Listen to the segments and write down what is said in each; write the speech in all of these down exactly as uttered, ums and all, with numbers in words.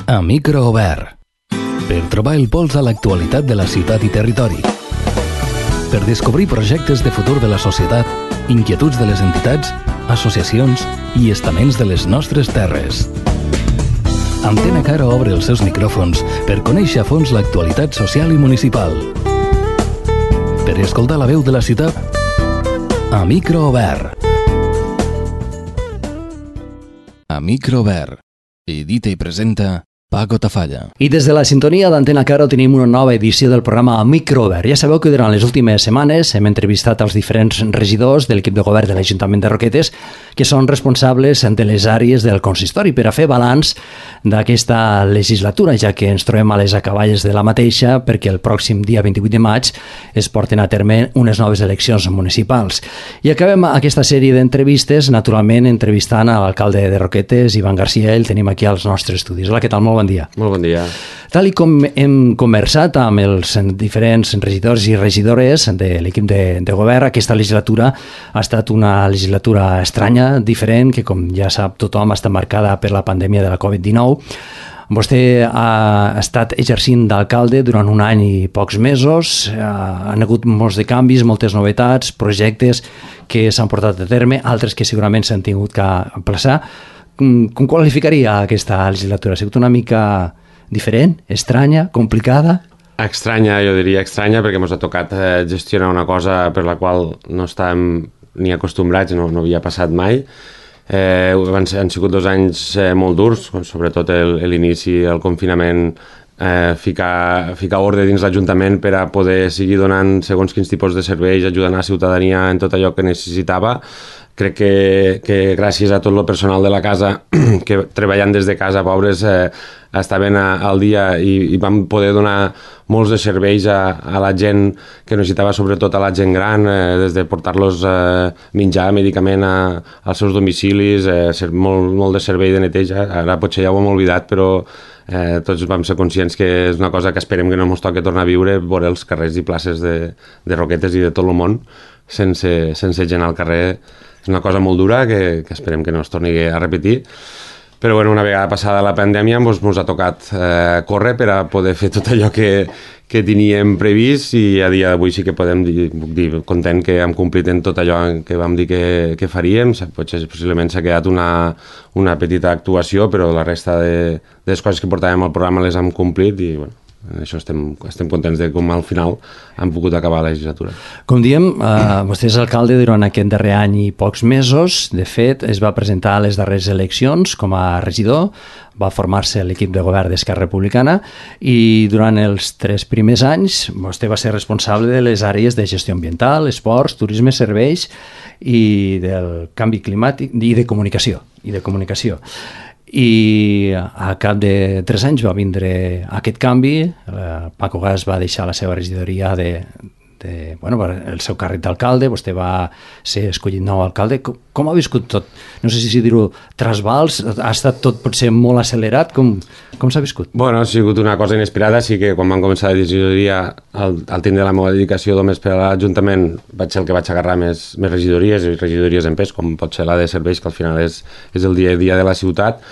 A micro obert. Per trobar el pols a l'actualitat de la ciutat i territori. Per descobrir projectes de futur de la societat, inquietuds de les entitats, associacions i estaments de les nostres terres. Antena Caro obre els seus micròfons per conèixer a fons l'actualitat social i municipal. Per escoltar la veu de la ciutat, a micro obert. A micro obert. Edita i presenta Paco Tafalla. I des de la sintonia d'Antena Caro tenim una nova edició del programa Microobert. Ja sabeu que durant les últimes setmanes hem entrevistat els diferents regidors de l'equip de govern de l'Ajuntament de Roquetes que són responsables de les àrees del consistori per a fer balanç d'aquesta legislatura, ja que ens trobem a les acaballes de la mateixa perquè el pròxim dia vint-i-vuit de maig es porten a terme unes noves eleccions municipals. I acabem aquesta sèrie d'entrevistes, naturalment, entrevistant a l'alcalde de Roquetes, Ivan Garcia. El tenim aquí als nostres estudis. Hola, què tal? Molt bon dia. Molt bon dia. Tal i com hem conversat amb els diferents regidors i regidores de l'equip de, de govern, aquesta legislatura ha estat una legislatura estranya, diferent, que com ja sap tothom està marcada per la pandèmia de la covid dinou. Vostè ha estat exercint d'alcalde durant un any i pocs mesos, han hagut molts de canvis, moltes novetats, projectes que s'han portat a terme, altres que segurament s'han tingut que aplaçar. Com qualificaria aquesta legislatura? Ha sigut una mica diferent, estranya, complicada? Estranya, jo diria estranya, perquè ens ha tocat gestionar una cosa per la qual no estàvem ni acostumbrats, no, no havia passat mai. Eh, han, han sigut dos anys eh, molt durs, sobretot l'inici, el confinament, eh, ficar, ficar ordre dins l'Ajuntament per a poder seguir donant segons quins tipus de serveis, ajudant a la ciutadania en tot allò que necessitava. Crec que, que gràcies a tot el personal de la casa que treballant des de casa, pobres, eh, estaven a, al dia i, i vam poder donar molts de serveis a, a la gent que necessitava, sobretot a la gent gran, eh, des de portar-los eh, menjar, medicament a, als seus domicilis, eh, ser molt, molt de servei de neteja. Ara potser ja ho hem oblidat, però eh, tots vam ser conscients que és una cosa que esperem que no ens toqui tornar a viure, veure els carrers i places de, de Roquetes i de tot el món sense, sense gent al carrer. És una cosa molt dura que, que esperem que no es torni a repetir. Però bueno, una vegada passada la pandèmia ens doncs, ha tocat eh, córrer per a poder fer tot allò que, que teníem previst, i a dia d'avui sí que podem dir, dir content que hem complit en tot allò que vam dir que, que faríem. Potser possiblement s'ha quedat una, una petita actuació, però la resta de, de les coses que portàvem al programa les hem complit i bueno, això estem, estem contents de com al final han pogut acabar la legislatura. Com diem, eh, vostè és alcalde durant aquest darrer any i pocs mesos. De fet, es va presentar a les darreres eleccions com a regidor, va formar-se l'equip de govern d'Esquerra Republicana i durant els tres primers anys vostè va ser responsable de les àrees de gestió ambiental, esports, turisme, serveis i del canvi climàtic i de comunicació. I de comunicació. I a cap de tres anys va vindre aquest canvi. Paco Gas va deixar la seva regidoria de, de, bueno, el seu càrrec d'alcalde, vostè va ser escollit nou alcalde. Com, com ha viscut tot? No sé si dir-ho trasbals, ha estat tot potser molt accelerat, com, com s'ha viscut? Bueno, ha sigut una cosa inesperada, sí que quan vam començar la regidoria, al, al tindre la meva dedicació només per a l'Ajuntament, vaig ser el que vaig agarrar més, més regidories, i regidories en pes, com pot ser la de serveis, que al final és, és el dia a dia de la ciutat.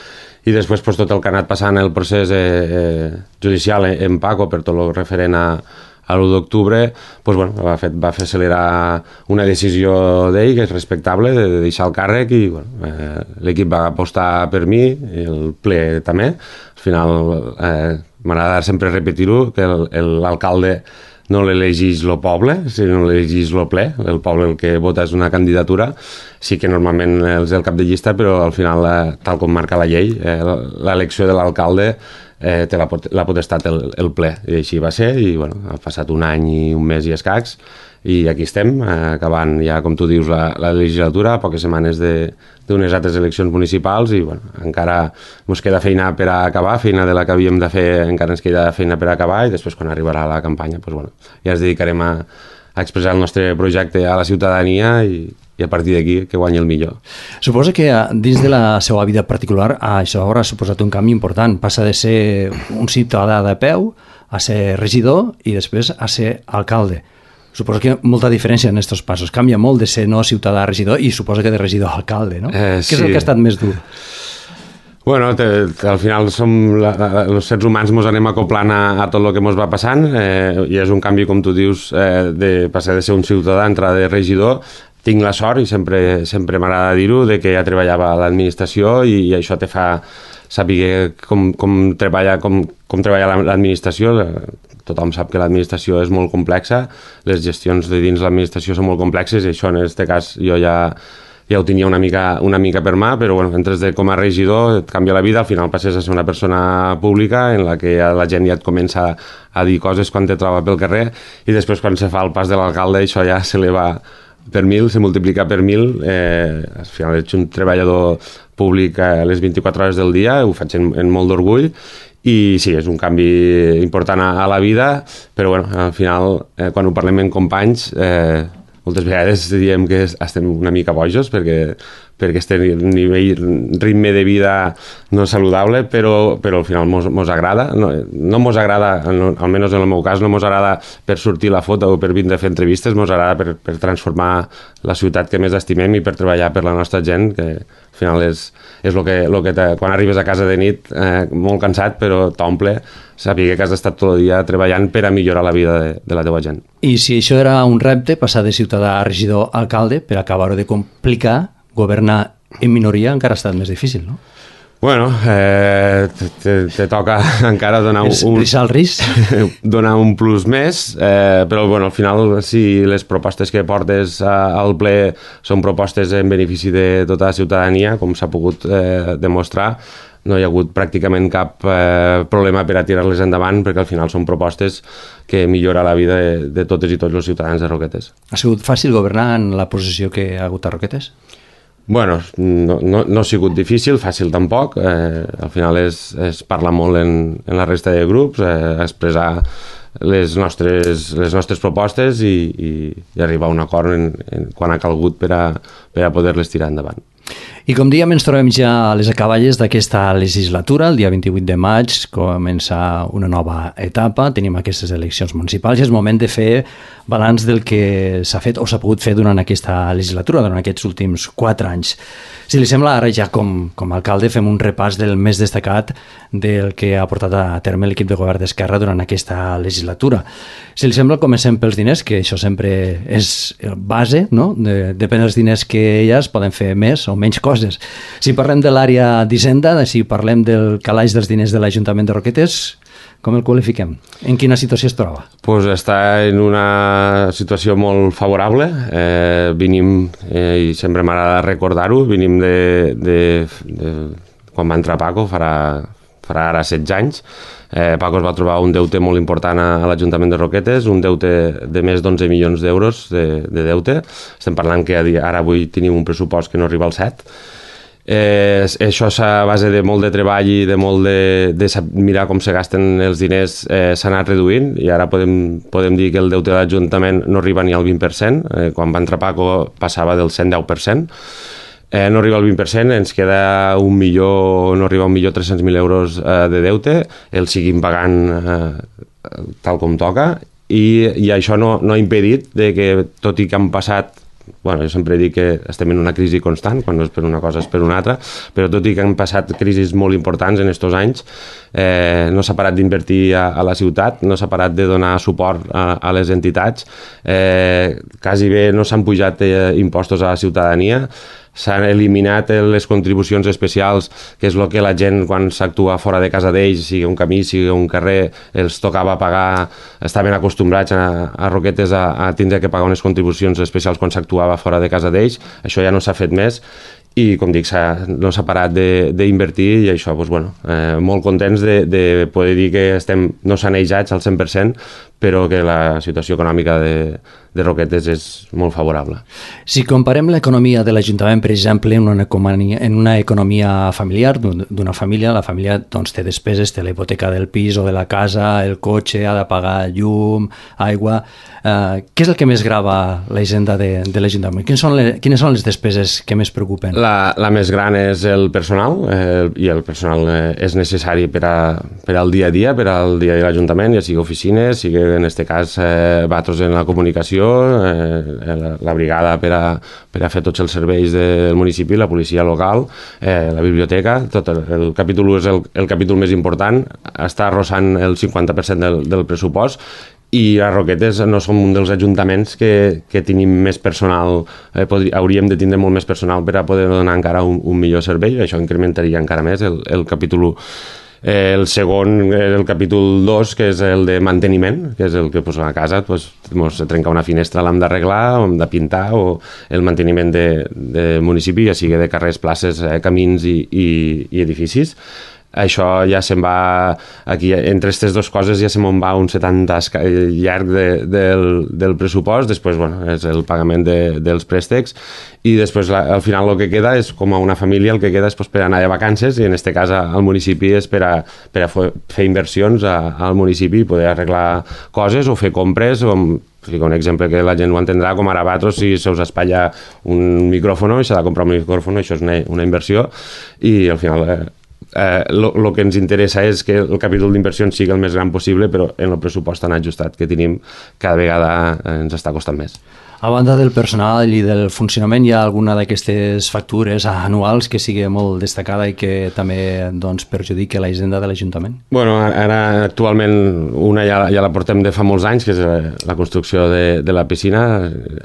I després pues, tot el que ha anat passant el procés eh, eh, judicial en Paco per tot el referent a, a l'u d'octubre, pues, bueno, va, fer, va fer accelerar una decisió d'ell que és respectable, de, de deixar el càrrec, i bueno, eh, l'equip va apostar per mi, el ple també. Al final eh, m'agrada sempre repetir-ho, que l'alcalde no l'elegeix el poble, sinó l'elegeix el ple. El poble el que vota és una candidatura. Sí que normalment és el cap de llista, però al final, eh, tal com marca la llei, eh, l'elecció de l'alcalde eh, té la, pot la potestat el, el ple. I així va ser, i bueno, ha passat un any i un mes i escacs, i aquí estem, eh, acabant ja, com tu dius, la, la legislatura, a poques setmanes d'unes altres eleccions municipals, i bueno, encara ens queda feina per a acabar, feina de la que havíem de fer, encara ens queda feina per a acabar, i després quan arribarà la campanya, pues, bueno, ja ens dedicarem a, a expressar el nostre projecte a la ciutadania, i, i a partir d'aquí que guanyi el millor. Suposo que dins de la seva vida particular això haurà suposat un canvi important. Passa de ser un ciutadà de peu a ser regidor i després a ser alcalde. Suposo que molta diferència en aquests passos. Canvia molt de ser no ciutadà a regidor i suposo que de regidor a alcalde, no? Eh, Què sí. és el que ha estat més dur? Bueno, te, te, al final som la, la, els sers humans ens anem acoplant a, a tot el que ens va passant eh, i és un canvi, com tu dius, eh, de passar de ser un ciutadà a entrar de regidor. Tinc la sort, i sempre, sempre m'agrada dir-ho, de que ja treballava a l'administració i, i això te fa saber com, com treballa, com, com treballa l'administració. Tothom sap que l'administració és molt complexa, les gestions de dins l'administració són molt complexes i això en aquest cas jo ja, ja ho tenia una mica, una mica per mà, però bueno, entres de, com a regidor et canvia la vida, al final passes a ser una persona pública en la que la gent ja et comença a dir coses quan te troba pel carrer i després quan se fa el pas de l'alcalde això ja se li va per mil, se multiplica per mil, eh, al final ets un treballador públic a les vint-i-quatre hores del dia, ho faig en, en molt d'orgull, i sí, és un canvi important a, a la vida, però bueno, al final, eh, quan ho parlem amb companys, eh, moltes vegades diem que estem una mica bojos perquè, perquè este nivell, ritme de vida no és saludable, però, però al final mos, mos agrada. No, no mos agrada, no, almenys en el meu cas, no mos agrada per sortir la foto o per vindre a fer entrevistes, mos agrada per, per transformar la ciutat que més estimem i per treballar per la nostra gent, que al final és, és el que, lo que te, quan arribes a casa de nit, eh, molt cansat, però t'omple saber que has estat tot el dia treballant per a millorar la vida de, de la teva gent. I si això era un repte, passar de ciutadà a regidor a alcalde, per acabar-ho de complicar, governar en minoria encara ha estat més difícil, no? Bueno, eh, te, te, te toca encara donar un, un, el risc. donar un plus més, eh, però bueno, al final si les propostes que portes a, al ple són propostes en benefici de tota la ciutadania, com s'ha pogut eh, demostrar, no hi ha hagut pràcticament cap eh, problema per a tirar-les endavant, perquè al final són propostes que millora la vida de, de totes i tots els ciutadans de Roquetes. Ha sigut fàcil governar en la posició que ha hagut a Roquetes? Bueno, no, no, no ha sigut difícil, fàcil tampoc. Eh, al final és, es parla molt en, en la resta de grups, eh, expressar les nostres, les nostres propostes i, i, i arribar a un acord en, en, quan ha calgut per a, per a poder-les tirar endavant. I com dèiem, ens trobem ja a les acaballes d'aquesta legislatura. El dia vint-i-vuit de maig comença una nova etapa, tenim aquestes eleccions municipals i és moment de fer balanç del que s'ha fet o s'ha pogut fer durant aquesta legislatura, durant aquests últims quatre anys. Si li sembla, ara ja com, com a alcalde fem un repàs del més destacat del que ha portat a terme l'equip de govern d'Esquerra durant aquesta legislatura. Si li sembla, comencem pels diners, que això sempre és base, no? De, depèn dels diners que hi ha, es poden fer més o menys coses. Si parlem de l'àrea d'Hisenda, si parlem del calaix dels diners de l'Ajuntament de Roquetes, com el qualifiquem? En quina situació es troba? Pues està en una situació molt favorable. Eh, venim, eh, i sempre m'agrada recordar-ho, venim de, de, de quan va entrar Paco, farà, farà ara setze anys. Eh, Paco es va trobar un deute molt important a, a l'Ajuntament de Roquetes, un deute de més d'onze milions d'euros de, de deute. Estem parlant que ara avui tenim un pressupost que no arriba al set. Eh, això a base de molt de treball i de molt de, de mirar com se gasten els diners eh, s'ha anat reduint i ara podem, podem dir que el deute de l'Ajuntament no arriba ni al vint per cent, eh, quan va entrar Paco passava del cent deu per cent. Eh, no arriba al vint per cent, ens queda un milió, no arriba a un milió tres-cents mil euros eh, de deute, el seguim pagant eh, tal com toca i, i això no, no ha impedit de que, tot i que han passat, bueno, jo sempre dic que estem en una crisi constant, quan no és per una cosa és per una altra, però tot i que han passat crisis molt importants en aquests anys, eh, no s'ha parat d'invertir a, a la ciutat, no s'ha parat de donar suport a, a les entitats, eh, quasi bé no s'han pujat eh, impostos a la ciutadania, s'han eliminat les contribucions especials, que és el que la gent quan s'actua fora de casa d'ells, sigui un camí, sigui un carrer, els tocava pagar, estaven acostumbrats a, a Roquetes a, a tindre que pagar unes contribucions especials quan s'actuava fora de casa d'ells, això ja no s'ha fet més i com dic, no s'ha parat d'invertir i això, doncs, bueno, eh, molt contents de, de poder dir que estem no sanejats al cent per cent, però que la situació econòmica de, de Roquetes és molt favorable. Si comparem l'economia de l'Ajuntament, per exemple, en una economia, en una economia familiar d'una família, la família doncs, té despeses, té la hipoteca del pis o de la casa, el cotxe, ha de pagar llum, aigua... Eh, què és el que més grava la hisenda de, de l'Ajuntament? Quines són, les, quines són les despeses que més preocupen? La, la més gran és el personal, eh, i el personal eh, és necessari per, a, per al dia a dia, per al dia de l'Ajuntament, ja sigui oficines, sigui en aquest cas eh, Vatros en la comunicació, eh, la, la brigada per a, per a fer tots els serveis del municipi, la policia local, eh, la biblioteca, tot el, el capítol u és el, el capítol més important, està arrossant el cinquanta per cent del, del pressupost, i a Roquetes no som un dels ajuntaments que, que tenim més personal, eh, podri, hauríem de tindre molt més personal per a poder donar encara un, un millor servei, això incrementaria encara més el, el capítol u. Eh, el segon, el capítol dos, que és el de manteniment, que és el que pues, a casa pues, mos trenca una finestra, l'hem d'arreglar, hem de pintar, o el manteniment de, de municipi, ja sigui de carrers, places, eh, camins i, i, i edificis. Això ja se'n va, aquí, entre aquestes dues coses ja se'n va un setanta llarg de, del, del pressupost, després bueno, és el pagament de, dels préstecs, i després la, al final el que queda és com a una família, el que queda és pues, per anar de vacances, i en aquest cas al municipi és per a, per a fer inversions a, al municipi i poder arreglar coses o fer compres, o un exemple que la gent ho entendrà, com ara Vatros, si se us espatlla un micròfon i s'ha de comprar un micròfon, això és una, una inversió, i al final el eh, eh, que ens interessa és que el capítol d'inversions sigui el més gran possible, però en el pressupost tan ajustat que tenim cada vegada ens està costant més. A banda del personal i del funcionament, hi ha alguna d'aquestes factures anuals que sigui molt destacada i que també doncs, perjudiqui la hisenda de l'Ajuntament? Bueno, ara actualment una ja, ja la portem de fa molts anys, que és la construcció de, de la piscina.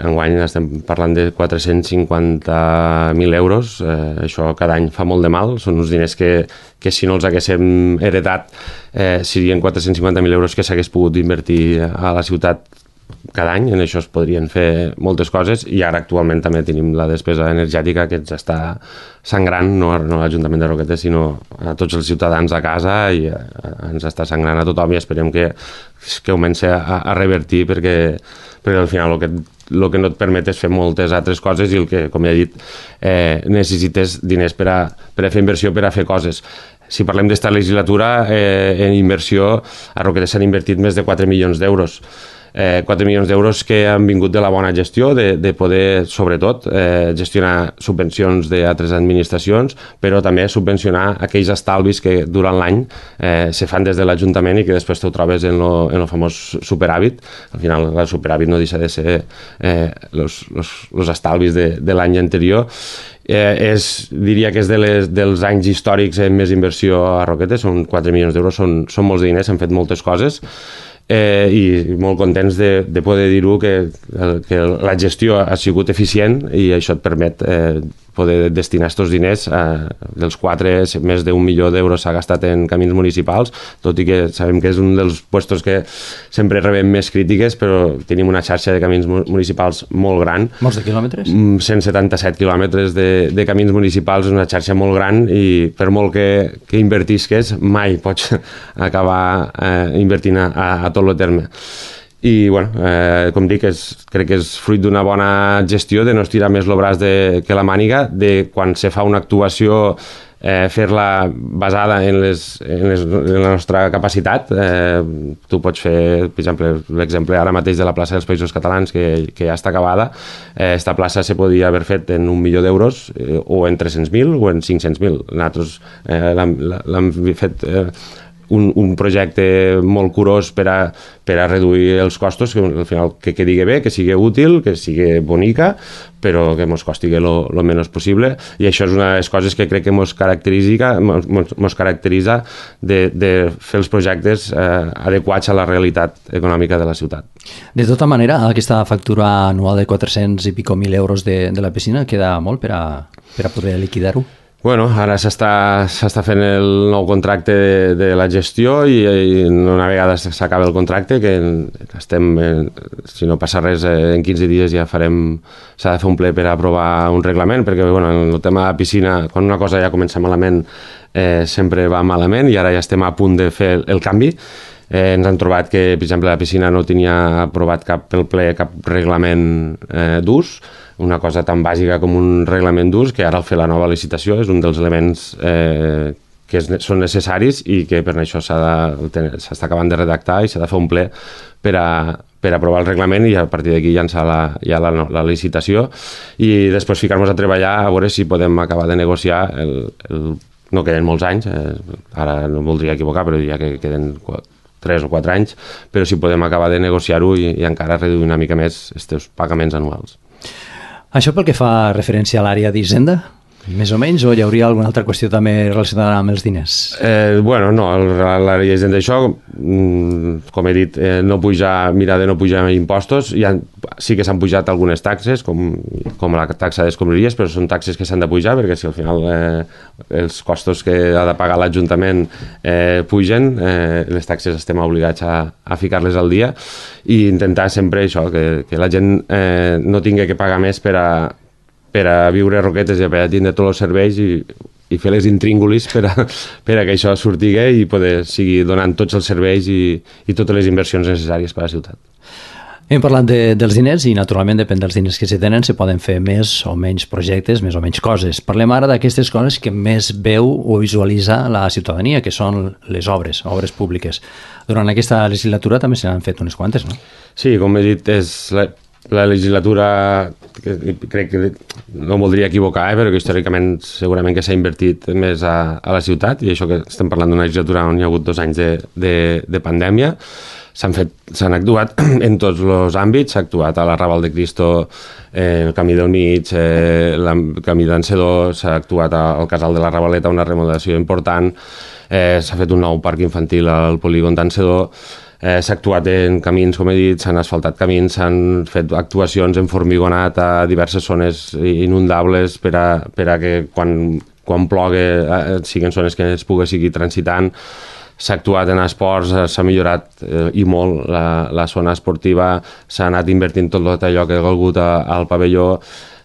Enguany estem parlant de quatre-cents cinquanta mil euros. Eh, això cada any fa molt de mal. Són uns diners que, que si no els haguéssim heretat eh, serien quatre-cents cinquanta mil euros que s'hagués pogut invertir a la ciutat cada any. En això es podrien fer moltes coses, i ara actualment també tenim la despesa energètica que ens està sangrant, no, no a l'Ajuntament de Roquetes, sinó a tots els ciutadans a casa, i a, a, ens està sangrant a tothom, i esperem que, que comenci a, a revertir, perquè, perquè al final el que, el que no et permet és fer moltes altres coses, i el que, com ja he dit, eh, necessites diners per a, per a fer inversió, per a fer coses. Si parlem d'esta legislatura, eh, en inversió, a Roquetes s'han invertit més de quatre milions d'euros. Eh, quatre milions d'euros que han vingut de la bona gestió, de, de poder, sobretot, eh, gestionar subvencions d'altres administracions, però també subvencionar aquells estalvis que durant l'any eh, se fan des de l'Ajuntament i que després t'ho trobes en lo, en lo famós superàvit. Al final, el superàvit no deixa de ser eh, los, los, los estalvis de, de l'any anterior. Eh, és, diria que és de les, dels anys històrics amb més inversió a Roquetes, són quatre milions d'euros, són, són molts diners, s'han fet moltes coses. Eh, i molt contents de, de poder dir-ho, que, que la gestió ha sigut eficient, i això et permet eh, poder destinar aquests diners. Eh, dels quatre, més d'un milió d'euros s'ha gastat en camins municipals, tot i que sabem que és un dels puestos que sempre rebem més crítiques, però tenim una xarxa de camins municipals molt gran. Molts de quilòmetres? cent setanta-set quilòmetres de, de camins municipals, és una xarxa molt gran, i per molt que, que invertisques, mai pots acabar eh, invertint a, a tot el terme. I, bueno, eh, com dic, és, crec que és fruit d'una bona gestió, de no estirar més el braç de, que la màniga, de quan se fa una actuació eh, fer-la basada en, les, en, les, en la nostra capacitat. Eh, tu pots fer, per exemple, l'exemple ara mateix de la plaça dels Països Catalans, que, que ja està acabada. Eh, esta plaça se podia haver fet en un milió d'euros, eh, o en tres-cents mil o en cinc-cents mil. Nosaltres eh, l'hem fet... Eh, Un, un projecte molt curós per a, per a reduir els costos, que al final que quedi bé, que sigui útil, que sigui bonica, però que ens costi el menys possible. I això és una de les coses que crec que ens caracteritza, mos caracteritza de, de fer els projectes eh, adequats a la realitat econòmica de la ciutat. De tota manera, aquesta factura anual de quatre-cents i pico mil euros de, de la piscina queda molt per a, per a poder liquidar-ho? Bueno, ara s'està s'està fent el nou contracte de, de la gestió, i, i una vegada s'acaba el contracte, que estem, si no passa res, en quinze dies ja farem, s'ha de fer un ple per aprovar un reglament, perquè bueno, en el tema de la piscina, quan una cosa ja comença malament, eh, sempre va malament, i ara ja estem a punt de fer el, el canvi. Eh, ens han trobat que, per exemple, la piscina no tenia aprovat cap pel ple cap reglament eh, d'ús, una cosa tan bàsica com un reglament d'ús, que ara al fer la nova licitació és un dels elements eh, que és, són necessaris, i que per això s'està acabant de redactar i s'ha de fer un ple per a, per aprovar el reglament, i a partir d'aquí llançar la, ja la, la licitació, i després ficar-nos a treballar a veure si podem acabar de negociar el, el no queden molts anys, eh, ara no em voldria equivocar, però diria que queden tres o quatre anys, però si podem acabar de negociar-ho i, i encara reduir una mica més aquests pagaments anuals. Això pel que fa referència a l'àrea d'Hisenda? Més o menys, o hi hauria alguna altra qüestió també relacionada amb els diners? Eh, bueno, no, l'àrea d'Hisenda d'això, com he dit, eh, no pujar, mirar de no pujar impostos, ha, sí que s'han pujat algunes taxes, com, com la taxa d'escombraries, però són taxes que s'han de pujar, perquè si al final eh, els costos que ha de pagar l'Ajuntament eh, pugen, eh, les taxes estem obligats a, a ficar-les al dia, i intentar sempre això, que, que la gent eh, no tingui que pagar més per a per a viure a Roquetes i per a tindre tots els serveis i, i fer les intríngulis per a, per a que això surtigui i poder seguir donant tots els serveis i, i totes les inversions necessàries per a la ciutat. Hem parlat de, dels diners i naturalment depèn dels diners que se tenen se poden fer més o menys projectes, més o menys coses. Parlem ara d'aquestes coses que més veu o visualitza la ciutadania, que són les obres, obres públiques. Durant aquesta legislatura també se n'han fet unes quantes, no? Sí, com he dit, és la, la legislatura, que crec que no em voldria equivocar, eh, però que històricament segurament que s'ha invertit més a, a la ciutat, i això que estem parlant d'una legislatura on hi ha hagut dos anys de, de, de pandèmia. S'han fet, s'han actuat en tots els àmbits, s'ha actuat a la Raval de Cristo, eh, el Camí del Mig, eh, el Camí d'Encedor, s'ha actuat al Casal de la Ravaleta, una remodelació important, eh, s'ha fet un nou parc infantil al polígon d'Encedor, eh, s'ha actuat en camins, com he dit, s'han asfaltat camins, s'han fet actuacions en formigonat a diverses zones inundables per a, per a que quan, quan plogui eh, siguin zones que es pugui seguir transitant. S'ha actuat en esports, s'ha millorat eh, i molt la, la zona esportiva, s'ha anat invertint tot allò que ha calgut al pavelló,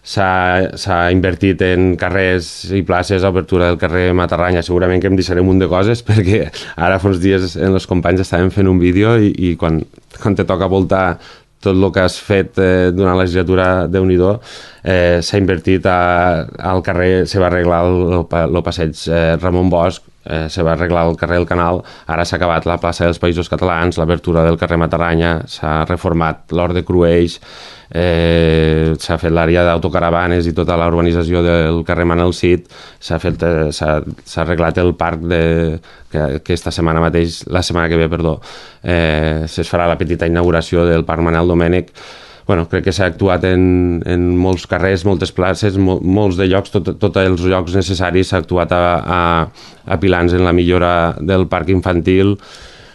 s'ha invertit en carrers i places, obertura del carrer Matarranya. Segurament que em deixaré un munt de coses perquè ara fa uns dies els companys estàvem fent un vídeo i, i quan, quan te toca voltar tot el que has fet eh, durant la legislatura, Déu-n'hi-do, eh, s'ha invertit a, al carrer, se va arreglar el, el passeig eh, Ramon Bosch, eh, se va arreglar el carrer del Canal, ara s'ha acabat la plaça dels Països Catalans, l'obertura del carrer Matarranya, s'ha reformat l'Hort de Crueix, eh, s'ha fet l'àrea d'autocaravanes i tota la urbanització del carrer Manel Cid, s'ha fet, eh, s'ha, s'ha arreglat el parc de, que aquesta setmana mateix, la setmana que ve, perdó, eh, es farà la petita inauguració del parc Manel Domènech. Bueno, crec que s'ha actuat en, en molts carrers, moltes places, mol, molts de llocs, tots tot els llocs necessaris, s'ha actuat a, a, a Pilans en la millora del parc infantil,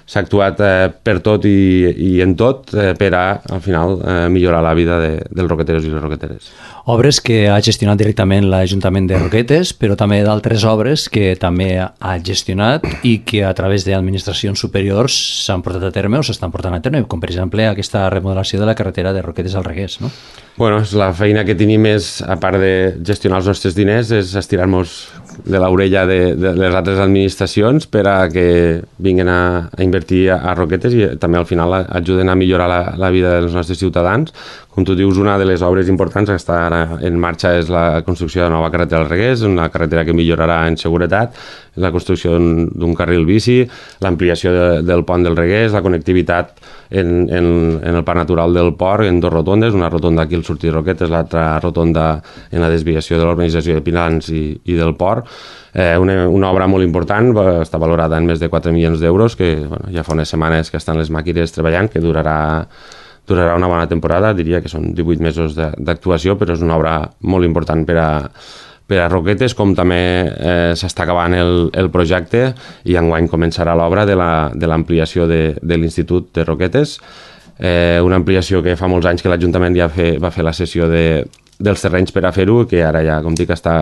s'ha actuat eh, per tot i, i en tot eh, per a, al final, eh, millorar la vida de, dels roqueteros i les roqueteres. Obres que ha gestionat directament l'Ajuntament de Roquetes, però també d'altres obres que també ha gestionat i que a través d'administracions superiors s'han portat a terme o s'estan portant a terme, com per exemple aquesta remodelació de la carretera de Roquetes al Reguers, no? Bueno, la feina que tenim és, a part de gestionar els nostres diners, és estirar-nos de l'orella de, de les altres administracions per a que vinguin a, a invertir a, a Roquetes i també al final ajuden a millorar la, la vida dels nostres ciutadans. Com tu dius, una de les obres importants que està ara en marxa és la construcció de la nova carretera al Reguers, una carretera que millorarà en seguretat, la construcció d'un carril bici, l'ampliació de, del pont del Reguers, la connectivitat en, en, en el parc natural del port, en dos rotondes, una rotonda aquí al sortir de Roquetes, l'altra rotonda en la desviació de l'urbanització de Pilans i, i del port. Eh, una, una obra molt important, està valorada en més de quatre milions d'euros, que bueno, ja fa unes setmanes que estan les màquines treballant, que durarà durarà una bona temporada, diria que són divuit mesos d'actuació, però és una obra molt important per a, per a Roquetes, com també eh, s'està acabant el, el projecte i enguany començarà l'obra de l'ampliació la, de, de l'Institut de Roquetes, eh, una ampliació que fa molts anys que l'Ajuntament ja fe, va fer la cessió de, dels terrenys per a fer-ho, que ara ja, com dic, està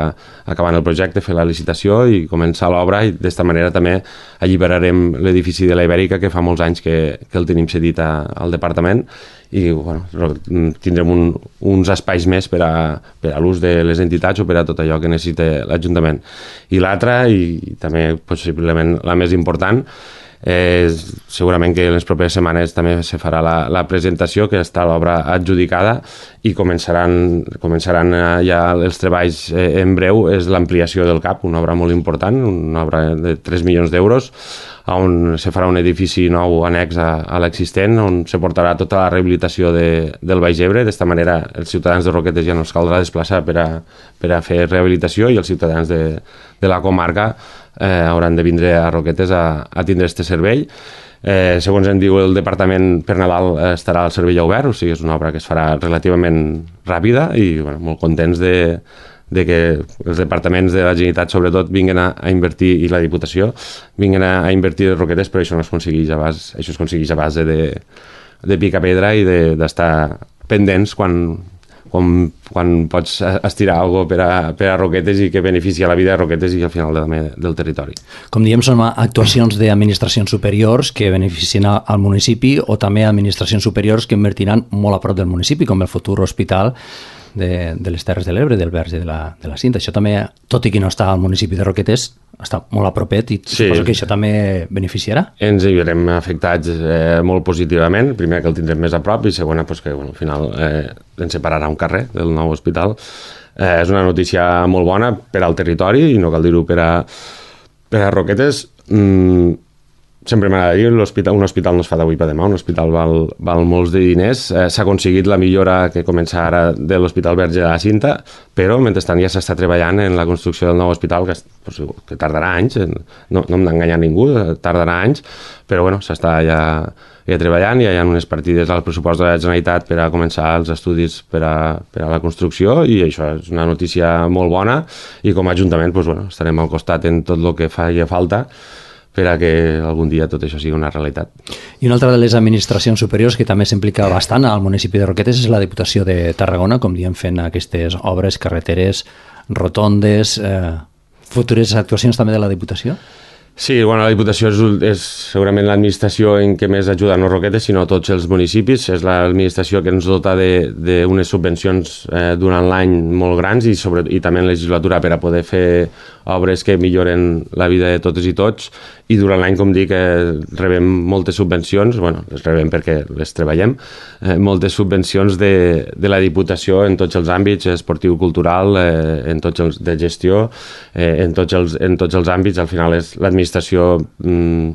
acabant el projecte, fer la licitació i començar l'obra, i d'esta manera també alliberarem l'edifici de la Ibèrica, que fa molts anys que, que el tenim cedit a, al departament, i bueno, tindrem un, uns espais més per a, per a l'ús de les entitats o per a tot allò que necessita l'Ajuntament. I l'altra, i, i també possiblement la més important, Eh, segurament que en les properes setmanes també se farà la, la presentació, que està l'obra adjudicada i començaran, començaran ja els treballs eh, en breu. És l'ampliació del C A P, una obra molt important, una obra de tres milions d'euros, on se farà un edifici nou annex a, a l'existent, on se portarà tota la rehabilitació de, del Baix Ebre. D'esta manera els ciutadans de Roquetes ja no es caldrà desplaçar per a, per a fer rehabilitació, i els ciutadans de, de la comarca eh, hauran de vindre a Roquetes a, a tindre este servei. Eh, segons em diu el departament, per Nadal estarà el servei obert, o sigui, és una obra que es farà relativament ràpida i bueno, molt contents de, de que els departaments de la Generalitat sobretot vinguen a, a invertir, i la Diputació vinguen a, a invertir a Roquetes, però això no es aconsegueix a base, això es aconsegueix a base de, de picar pedra i d'estar pendents quan, quan, quan pots estirar alguna cosa per a, per a Roquetes i que beneficia la vida de Roquetes i al final de, del territori. Com diem, són actuacions d'administracions superiors que beneficien al municipi o també administracions superiors que invertiran molt a prop del municipi, com el futur hospital de, de les Terres de l'Ebre, del Verge de la, de la Cinta. Això també, tot i que no està al municipi de Roquetes, està molt a propet i sí, suposo que això també beneficiarà. Ens hi verem afectats eh, molt positivament, primer que el tindrem més a prop i segona pues, que bueno, al final eh, ens separarà un carrer del nou hospital. Eh, és una notícia molt bona per al territori i no cal dir-ho per a, per a Roquetes. Mm, sempre m'agrada dir, un hospital no es fa d'avui per demà, un hospital val, val molts de diners. Eh, S'ha aconseguit la millora que comença ara de l'Hospital Verge de la Cinta, però mentrestant ja s'està treballant en la construcció del nou hospital, que, pues, que tardarà anys, no, no hem d'enganyar ningú, tardarà anys, però bueno, s'està ja, ja treballant, ja hi ha unes partides al pressupost de la Generalitat per a començar els estudis per a, per a la construcció i això és una notícia molt bona i com a Ajuntament pues, bueno, estarem al costat en tot el que faci falta per a que algun dia tot això sigui una realitat. I una altra de les administracions superiors que també s'implica bastant al municipi de Roquetes és la Diputació de Tarragona, com diem, fent aquestes obres, carreteres, rotondes, eh, futures actuacions també de la Diputació? Sí, bueno, la Diputació és, és segurament l'administració en què més ajuda no Roquetes, sinó tots els municipis. És l'administració que ens dota d'unes subvencions eh, durant l'any molt grans i, sobre, i també en legislatura per a poder fer obres que milloren la vida de totes i tots. I durant l'any, com dic, eh, rebem moltes subvencions, bueno, les rebem perquè les treballem, eh, moltes subvencions de, de la Diputació en tots els àmbits, esportiu, cultural, eh, en tots els de gestió, eh, en, tots els, en tots els àmbits. Al final és l'administració mm,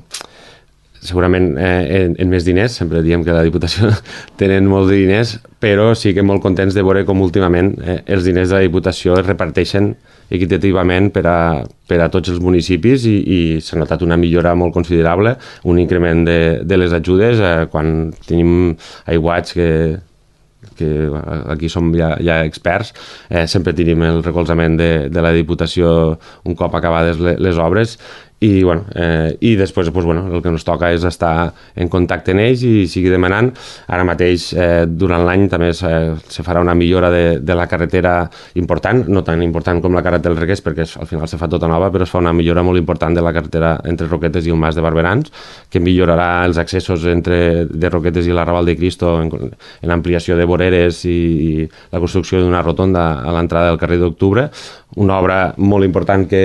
segurament eh, en, en més diners, sempre diem que la Diputació tenen molts de diners, però sí que molt contents de veure com últimament eh, els diners de la Diputació es reparteixen equitativament per a, per a tots els municipis i, i s'ha notat una millora molt considerable, un increment de, de les ajudes eh, quan tenim aiguats que, que aquí som ja, ja experts, eh, sempre tenim el recolzament de, de la Diputació un cop acabades les, les obres i, bueno, eh, i després pues, bueno, el que ens toca és estar en contacte amb ells i seguir demanant. Ara mateix, eh, durant l'any, també se, se farà una millora de, de la carretera important, no tan important com la carretera del Requés, perquè al final se fa tota nova, però es fa una millora molt important de la carretera entre Roquetes i el Mas de Barberans, que millorarà els accessos entre de Roquetes i la Raval de Cristo en, en ampliació de voreres i, i la construcció d'una rotonda a l'entrada del carrer d'Octubre, una obra molt important que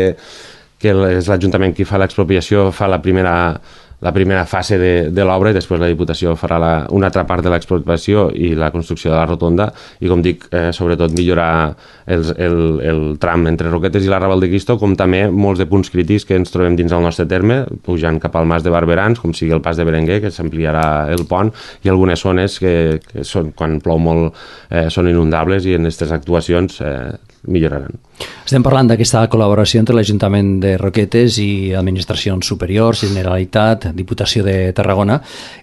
que és l'Ajuntament qui fa l'expropiació, fa la primera, la primera fase de, de l'obra i després la Diputació farà la, una altra part de l'expropiació i la construcció de la rotonda i, com dic, eh, sobretot millorar els, el, el tram entre Roquetes i la Raval de Cristo, com també molts de punts crítics que ens trobem dins del nostre terme, pujant cap al Mas de Barberans, com sigui el Pas de Berenguer, que s'ampliarà el pont, i algunes zones que, que són, quan plou molt eh, són inundables i en aquestes actuacions eh, milloraran. Estem parlant d'aquesta col·laboració entre l'Ajuntament de Roquetes i administracions superiors, Generalitat, Diputació de Tarragona,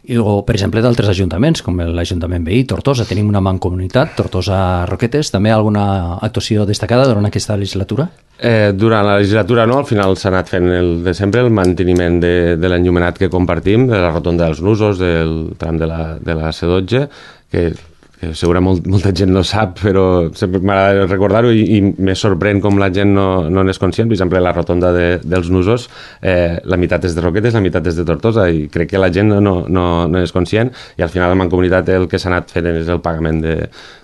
i, o, per exemple, d'altres ajuntaments, com l'Ajuntament veí, Tortosa. Tenim una mancomunitat, Tortosa-Roquetes. També alguna actuació destacada durant aquesta legislatura? Eh, durant la legislatura no, al final s'ha anat fent el de sempre, el manteniment de, de l'enllumenat que compartim, de la rotonda dels Nusos, del tram de la, de la C dotze, que segurament molt, molta gent no sap, però sempre m'agrada recordar-ho i, i me sorprèn com la gent no, no n'és conscient. Per exemple, la rotonda de, dels Nusos, eh, la meitat és de Roquetes, la meitat és de Tortosa, i crec que la gent no, no, no, no és conscient, i al final la Mancomunitat el que s'ha anat fent és el pagament de,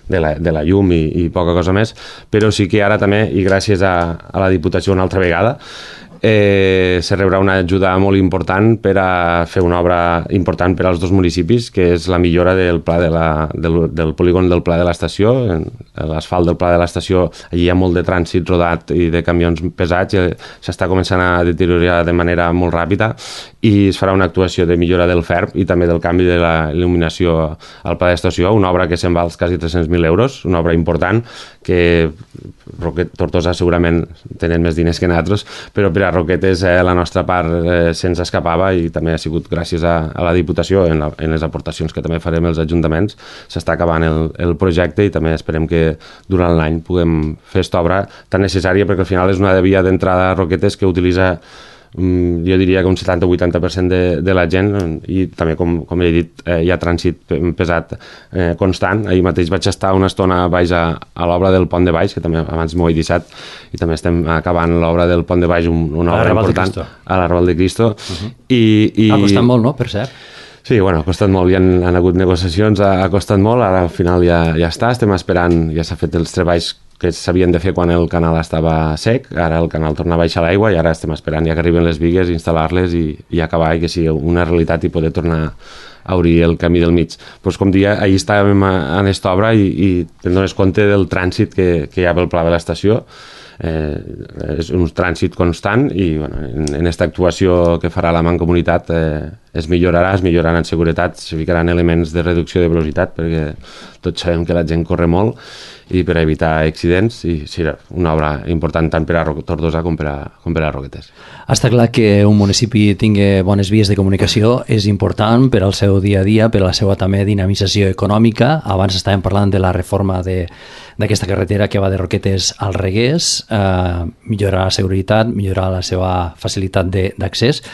de, la, de la llum i, i poca cosa més, però sí que ara també, i gràcies a, a la Diputació una altra vegada, Eh, se rebrà una ajuda molt important per a fer una obra important per als dos municipis, que és la millora del pla de la, del, del polígon del Pla de l'Estació. L'asfalt del Pla de l'Estació, allí hi ha molt de trànsit rodat i de camions pesats, i s'està començant a deteriorar de manera molt ràpida, i es farà una actuació de millora del F E R P i també del canvi de la il·luminació al Pla de l'Estació, una obra que se'n val quasi tres-cents mil euros, una obra important que Tortosa segurament tenen més diners que nosaltres, però per a a Roquetes eh, la nostra part eh, se'ns escapava i també ha sigut gràcies a, a la Diputació en, la, en les aportacions que també farem els ajuntaments. S'està acabant el, el projecte i també esperem que durant l'any puguem fer aquesta obra tan necessària, perquè al final és una via d'entrada a Roquetes que utilitza jo diria que un setanta o vuitanta per cent de, de la gent, i també, com, com he dit, eh, hi ha trànsit pesat eh, constant. Ahir mateix vaig estar una estona baix a, a l'obra del Pont de Baix, que també abans m'ho he deixat, i també estem acabant l'obra del Pont de Baix, un, una obra important, a l'Arrabal de Cristo. Uh-huh. I, i... Ha costat molt, no?, per cert. Sí, bueno, ha costat molt, hi han, han hagut negociacions, ha, ha costat molt, ara al final ja, ja està, estem esperant, ja s'ha fet els treballs que s'havien de fer quan el canal estava sec, ara el canal torna a baixar l'aigua i ara estem esperant ja que arriben les bigues, instal·lar-les i, i acabar, i que sigui una realitat i poder tornar a obrir el camí del mig. Pues, com dia, ahir estàvem en aquesta obra i, i te'n dones compte del trànsit que, que hi ha pel pla de l'estació. Eh, és un trànsit constant i bueno, en, en aquesta actuació que farà la Mancomunitat eh, es millorarà, es millorarà en seguretat, se ficaran elements de reducció de velocitat perquè tots sabem que la gent corre molt i per evitar accidents, i serà una obra important tant per a Tortosa com per a, com per a Roquetes. Està clar que un municipi tingui bones vies de comunicació és important per al seu dia a dia, per a la seva també dinamització econòmica. Abans estàvem parlant de la reforma de, d'aquesta carretera que va de Roquetes al Reguers, eh, millorar la seguretat, millorar la seva facilitat d'accés.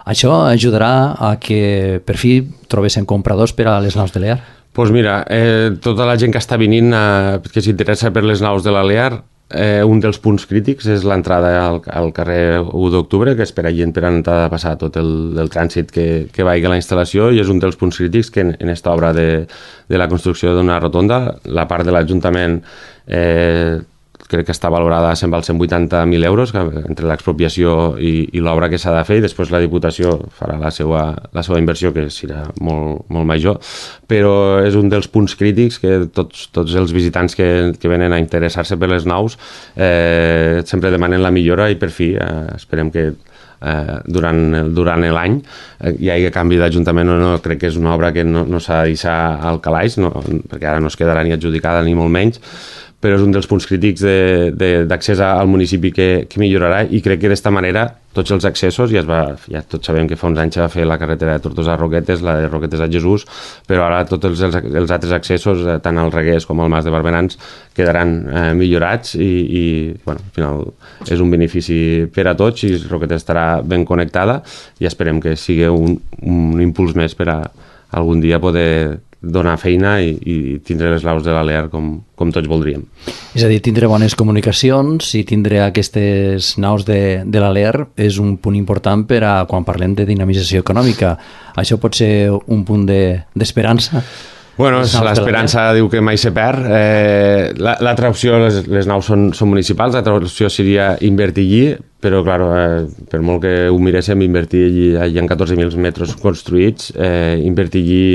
Això ajudarà a que per fi trobessin compradors per a les naus de l'E A R? Doncs pues mira, eh, tota la gent que està venint, eh, que s'interessa per les naus de l'E A R, eh, un dels punts crítics és l'entrada al, al carrer u d'octubre, que és per allà per entrar a passar tot el, el trànsit que, que vagi a la instal·lació, i és un dels punts crítics que en, en esta obra de, de la construcció d'una rotonda, la part de l'Ajuntament eh, crec que està valorada a cent vuitanta mil euros entre l'expropiació i, i l'obra que s'ha de fer, i després la Diputació farà la seva, la seva inversió, que serà molt, molt major, però és un dels punts crítics que tots, tots els visitants que, que venen a interessar-se per les naus eh, sempre demanen la millora, i per fi eh, esperem que eh, durant, durant l'any eh, hi hagi canvi d'Ajuntament o no. Crec que és una obra que no, no s'ha de deixar al calaix, no, perquè ara no es quedarà ni adjudicada ni molt menys, però és un dels punts crítics d'accés al municipi que, que millorarà, i crec que d'esta manera tots els accessos, ja, es va, ja tots sabem que fa uns anys va fer la carretera de Tortosa a Roquetes, la de Roquetes a Jesús, però ara tots els, els altres accessos, eh, tant al Reguers com al Mas de Barberans, quedaran eh, millorats, i, i bueno, al final és un benefici per a tots, i Roquetes estarà ben connectada, i esperem que sigui un, un impuls més per a algun dia poder donar feina i, i tindre les naus de l'E A R com, com tots voldríem. És a dir, tindre bones comunicacions i tindre aquestes naus de, de l'E A R és un punt important per a quan parlem de dinamització econòmica. Això pot ser un punt d'esperança? De, bueno, l'esperança diu que mai se perd. Eh, L'altra opció, les, les naus són, són municipals, l'altra opció seria invertir allí, però, clar, eh, per molt que ho miréssim, invertir allí, hi ha catorze mil metres construïts, eh, invertir allí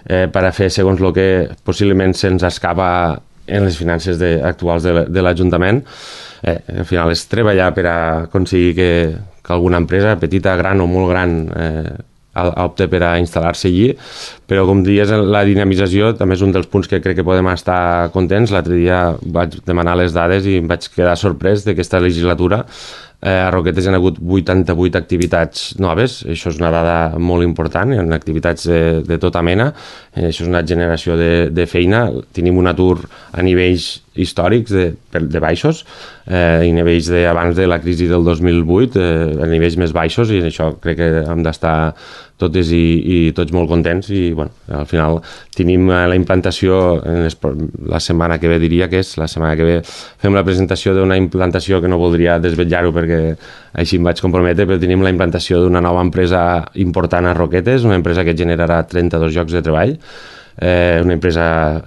Eh, per a fer segons el que possiblement se'ns escapa en les finances de, actuals de, de l'Ajuntament. Eh, al final és treballar per a aconseguir que, que alguna empresa, petita, gran o molt gran, eh, opte per a instal·lar-se allí, però com dies, la dinamització també és un dels punts que crec que podem estar contents. L'altre dia vaig demanar les dades i em vaig quedar sorprès d'aquesta legislatura. Eh, a Roquetes hi ha hagut vuitanta-vuit activitats noves, això és una dada molt important, hi ha activitats de, de tota mena, eh, això és una generació de, de feina. Tenim un atur a nivells històrics de, de baixos, eh, i nivells de, abans de la crisi del dos mil vuit, eh, a nivells més baixos, i això crec que hem d'estar totes i, i tots molt contents, i bueno, al final tenim la implantació en les, la setmana que ve, diria que és la setmana que ve, fem la presentació d'una implantació que no voldria desvetllar-ho perquè així em vaig comprometre, però tenim la implantació d'una nova empresa important a Roquetes, una empresa que generarà trenta-dos llocs de treball, eh, una empresa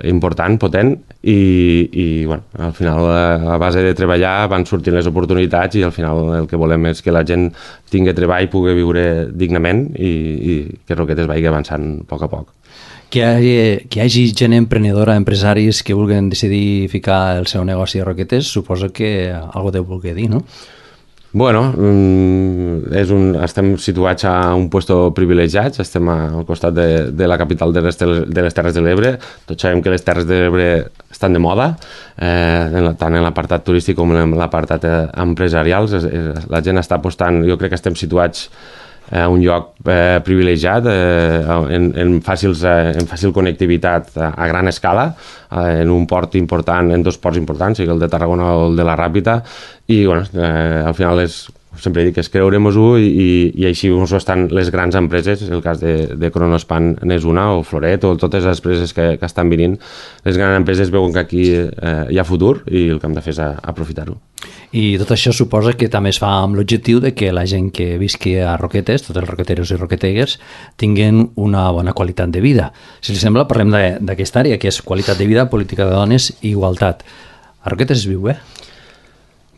important, potent, i, i bueno, al final a base de treballar van sortint les oportunitats, i al final el que volem és que la gent tingui treball, pugui viure dignament, i, i que Roquetes vagi avançant a poc a poc. Que hi, hagi, que hi hagi gent emprenedora, empresaris que vulguin decidir ficar el seu negoci a Roquetes, suposo que algú deu voler dir, no? Bueno, és un, estem situats a un puesto privilegiat, estem al costat de, de la capital de les, de les Terres de l'Ebre. Tots sabem que les Terres de l'Ebre estan de moda, eh, tant en l'apartat turístic com en l'apartat empresarial. La gent està apostant, jo crec que estem situats a un lloc eh, privilegiat, eh, en, en, fàcils, eh, en fàcil connectivitat a, a gran escala, eh, en un port important, en dos ports importants, sigui el de Tarragona o el de la Ràpita, i bueno, eh, al final és, sempre dic, és creure-mos-ho i, i, i així ho estan les grans empreses, el cas de, de Kronospan n'és una, o Floret, o totes les empreses que, que estan venint. Les grans empreses veuen que aquí eh, hi ha futur i el que hem de fer és aprofitar-ho. I tot això suposa que també es fa amb l'objectiu de que la gent que visqui a Roquetes, tots els roqueteros i roquetegues, tinguin una bona qualitat de vida. Si li sembla, parlem d'aquesta àrea, que és qualitat de vida, política de dones i igualtat. A Roquetes es viu bé?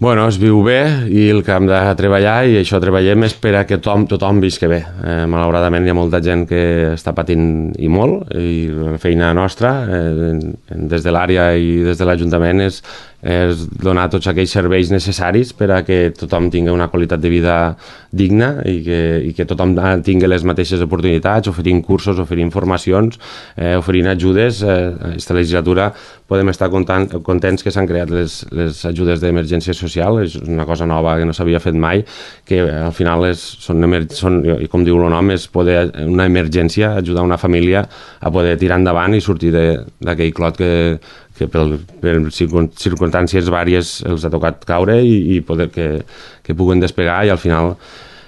Bueno, es viu bé i el que hem de treballar, i això treballem, és per a que tothom, tothom visqui bé. Eh, malauradament hi ha molta gent que està patint i molt, i la feina nostra, eh, des de l'àrea i des de l'Ajuntament, és, és donar tots aquells serveis necessaris per a que tothom tingui una qualitat de vida digna i que, i que tothom tingui les mateixes oportunitats, oferint cursos, oferint formacions, eh, oferint ajudes. Eh, aquesta legislatura podem estar content, contents que s'han creat les, les ajudes d'emergència social, és una cosa nova que no s'havia fet mai, que al final és, són, són, i com diu el nom, és poder, una emergència, ajudar una família a poder tirar endavant i sortir d'aquell clot que, que per, per circumstàncies vàries els ha tocat caure i, i poder que, que puguen despegar i al final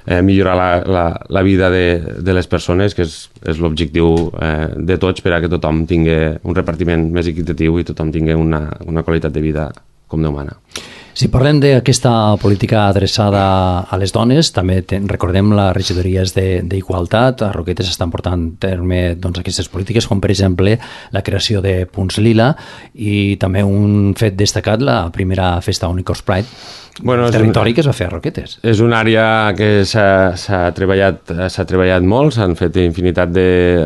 eh, millorar la, la, la vida de, de les persones, que és, és l'objectiu eh, de tots, per a que tothom tingui un repartiment més equitatiu i tothom tingui una, una qualitat de vida com Déu mana. Si parlem d'aquesta política adreçada a les dones, també ten, recordem les regidories d'Igualtat. A Roquetes estan portant a terme doncs, aquestes polítiques, com per exemple la creació de punts lila i també un fet destacat, la primera festa Unicorns Pride, bueno, el territori un, que es va fer a Roquetes. És una àrea que s'ha treballat, s'ha treballat molt, s'han fet infinitat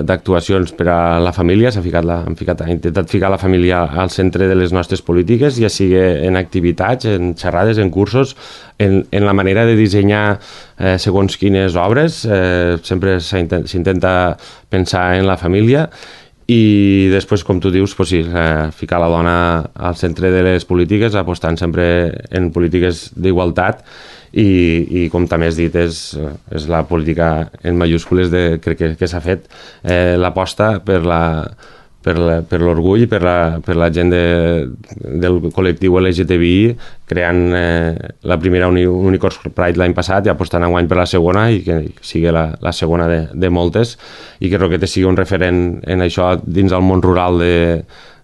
d'actuacions per a la família, s'ha ficat la, ficat, intentat ficar la família al centre de les nostres polítiques, ja sigui en activitats, en xerrades, en cursos, en, en la manera de dissenyar eh, segons quines obres, eh, sempre s'intenta pensar en la família. I després, com tu dius, pues sí, eh, ficar la dona al centre de les polítiques, apostant sempre en polítiques d'igualtat i, i com també has dit, és, és la política en majúscules de, crec que, que s'ha fet eh, l'aposta per la per l'orgull i per la, per la gent de, del col·lectiu L G T B I, creant eh, la primera Uni, Unicorns Pride l'any passat i apostant enguany per la segona i que sigui la, la segona de, de moltes i que Roquetes sigui un referent en això dins del món rural de,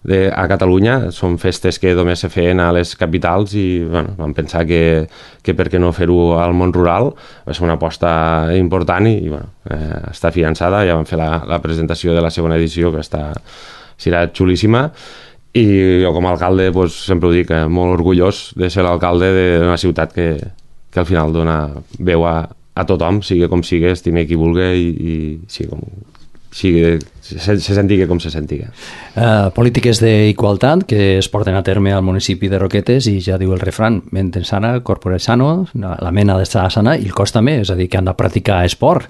de, a Catalunya. Són festes que només se feien a les capitals i bueno, vam pensar que, que per què no fer-ho al món rural. Va ser una aposta important i, i bueno, eh, està fiançada. Ja vam fer la, la presentació de la segona edició, que està, serà xulíssima, i jo com a alcalde pues, sempre ho dic, eh, molt orgullós de ser l'alcalde d'una ciutat que, que al final dona veu a, a tothom, sigui com sigui, estime qui vulgui i, i sigui com sigui, se, se sentigui com se sentigui. Uh, polítiques d'igualtat que es porten a terme al municipi de Roquetes i ja diu el refrán, mente sana, corpore sano, la mena d'estar sana i el cos també, és a dir, que han de practicar esport.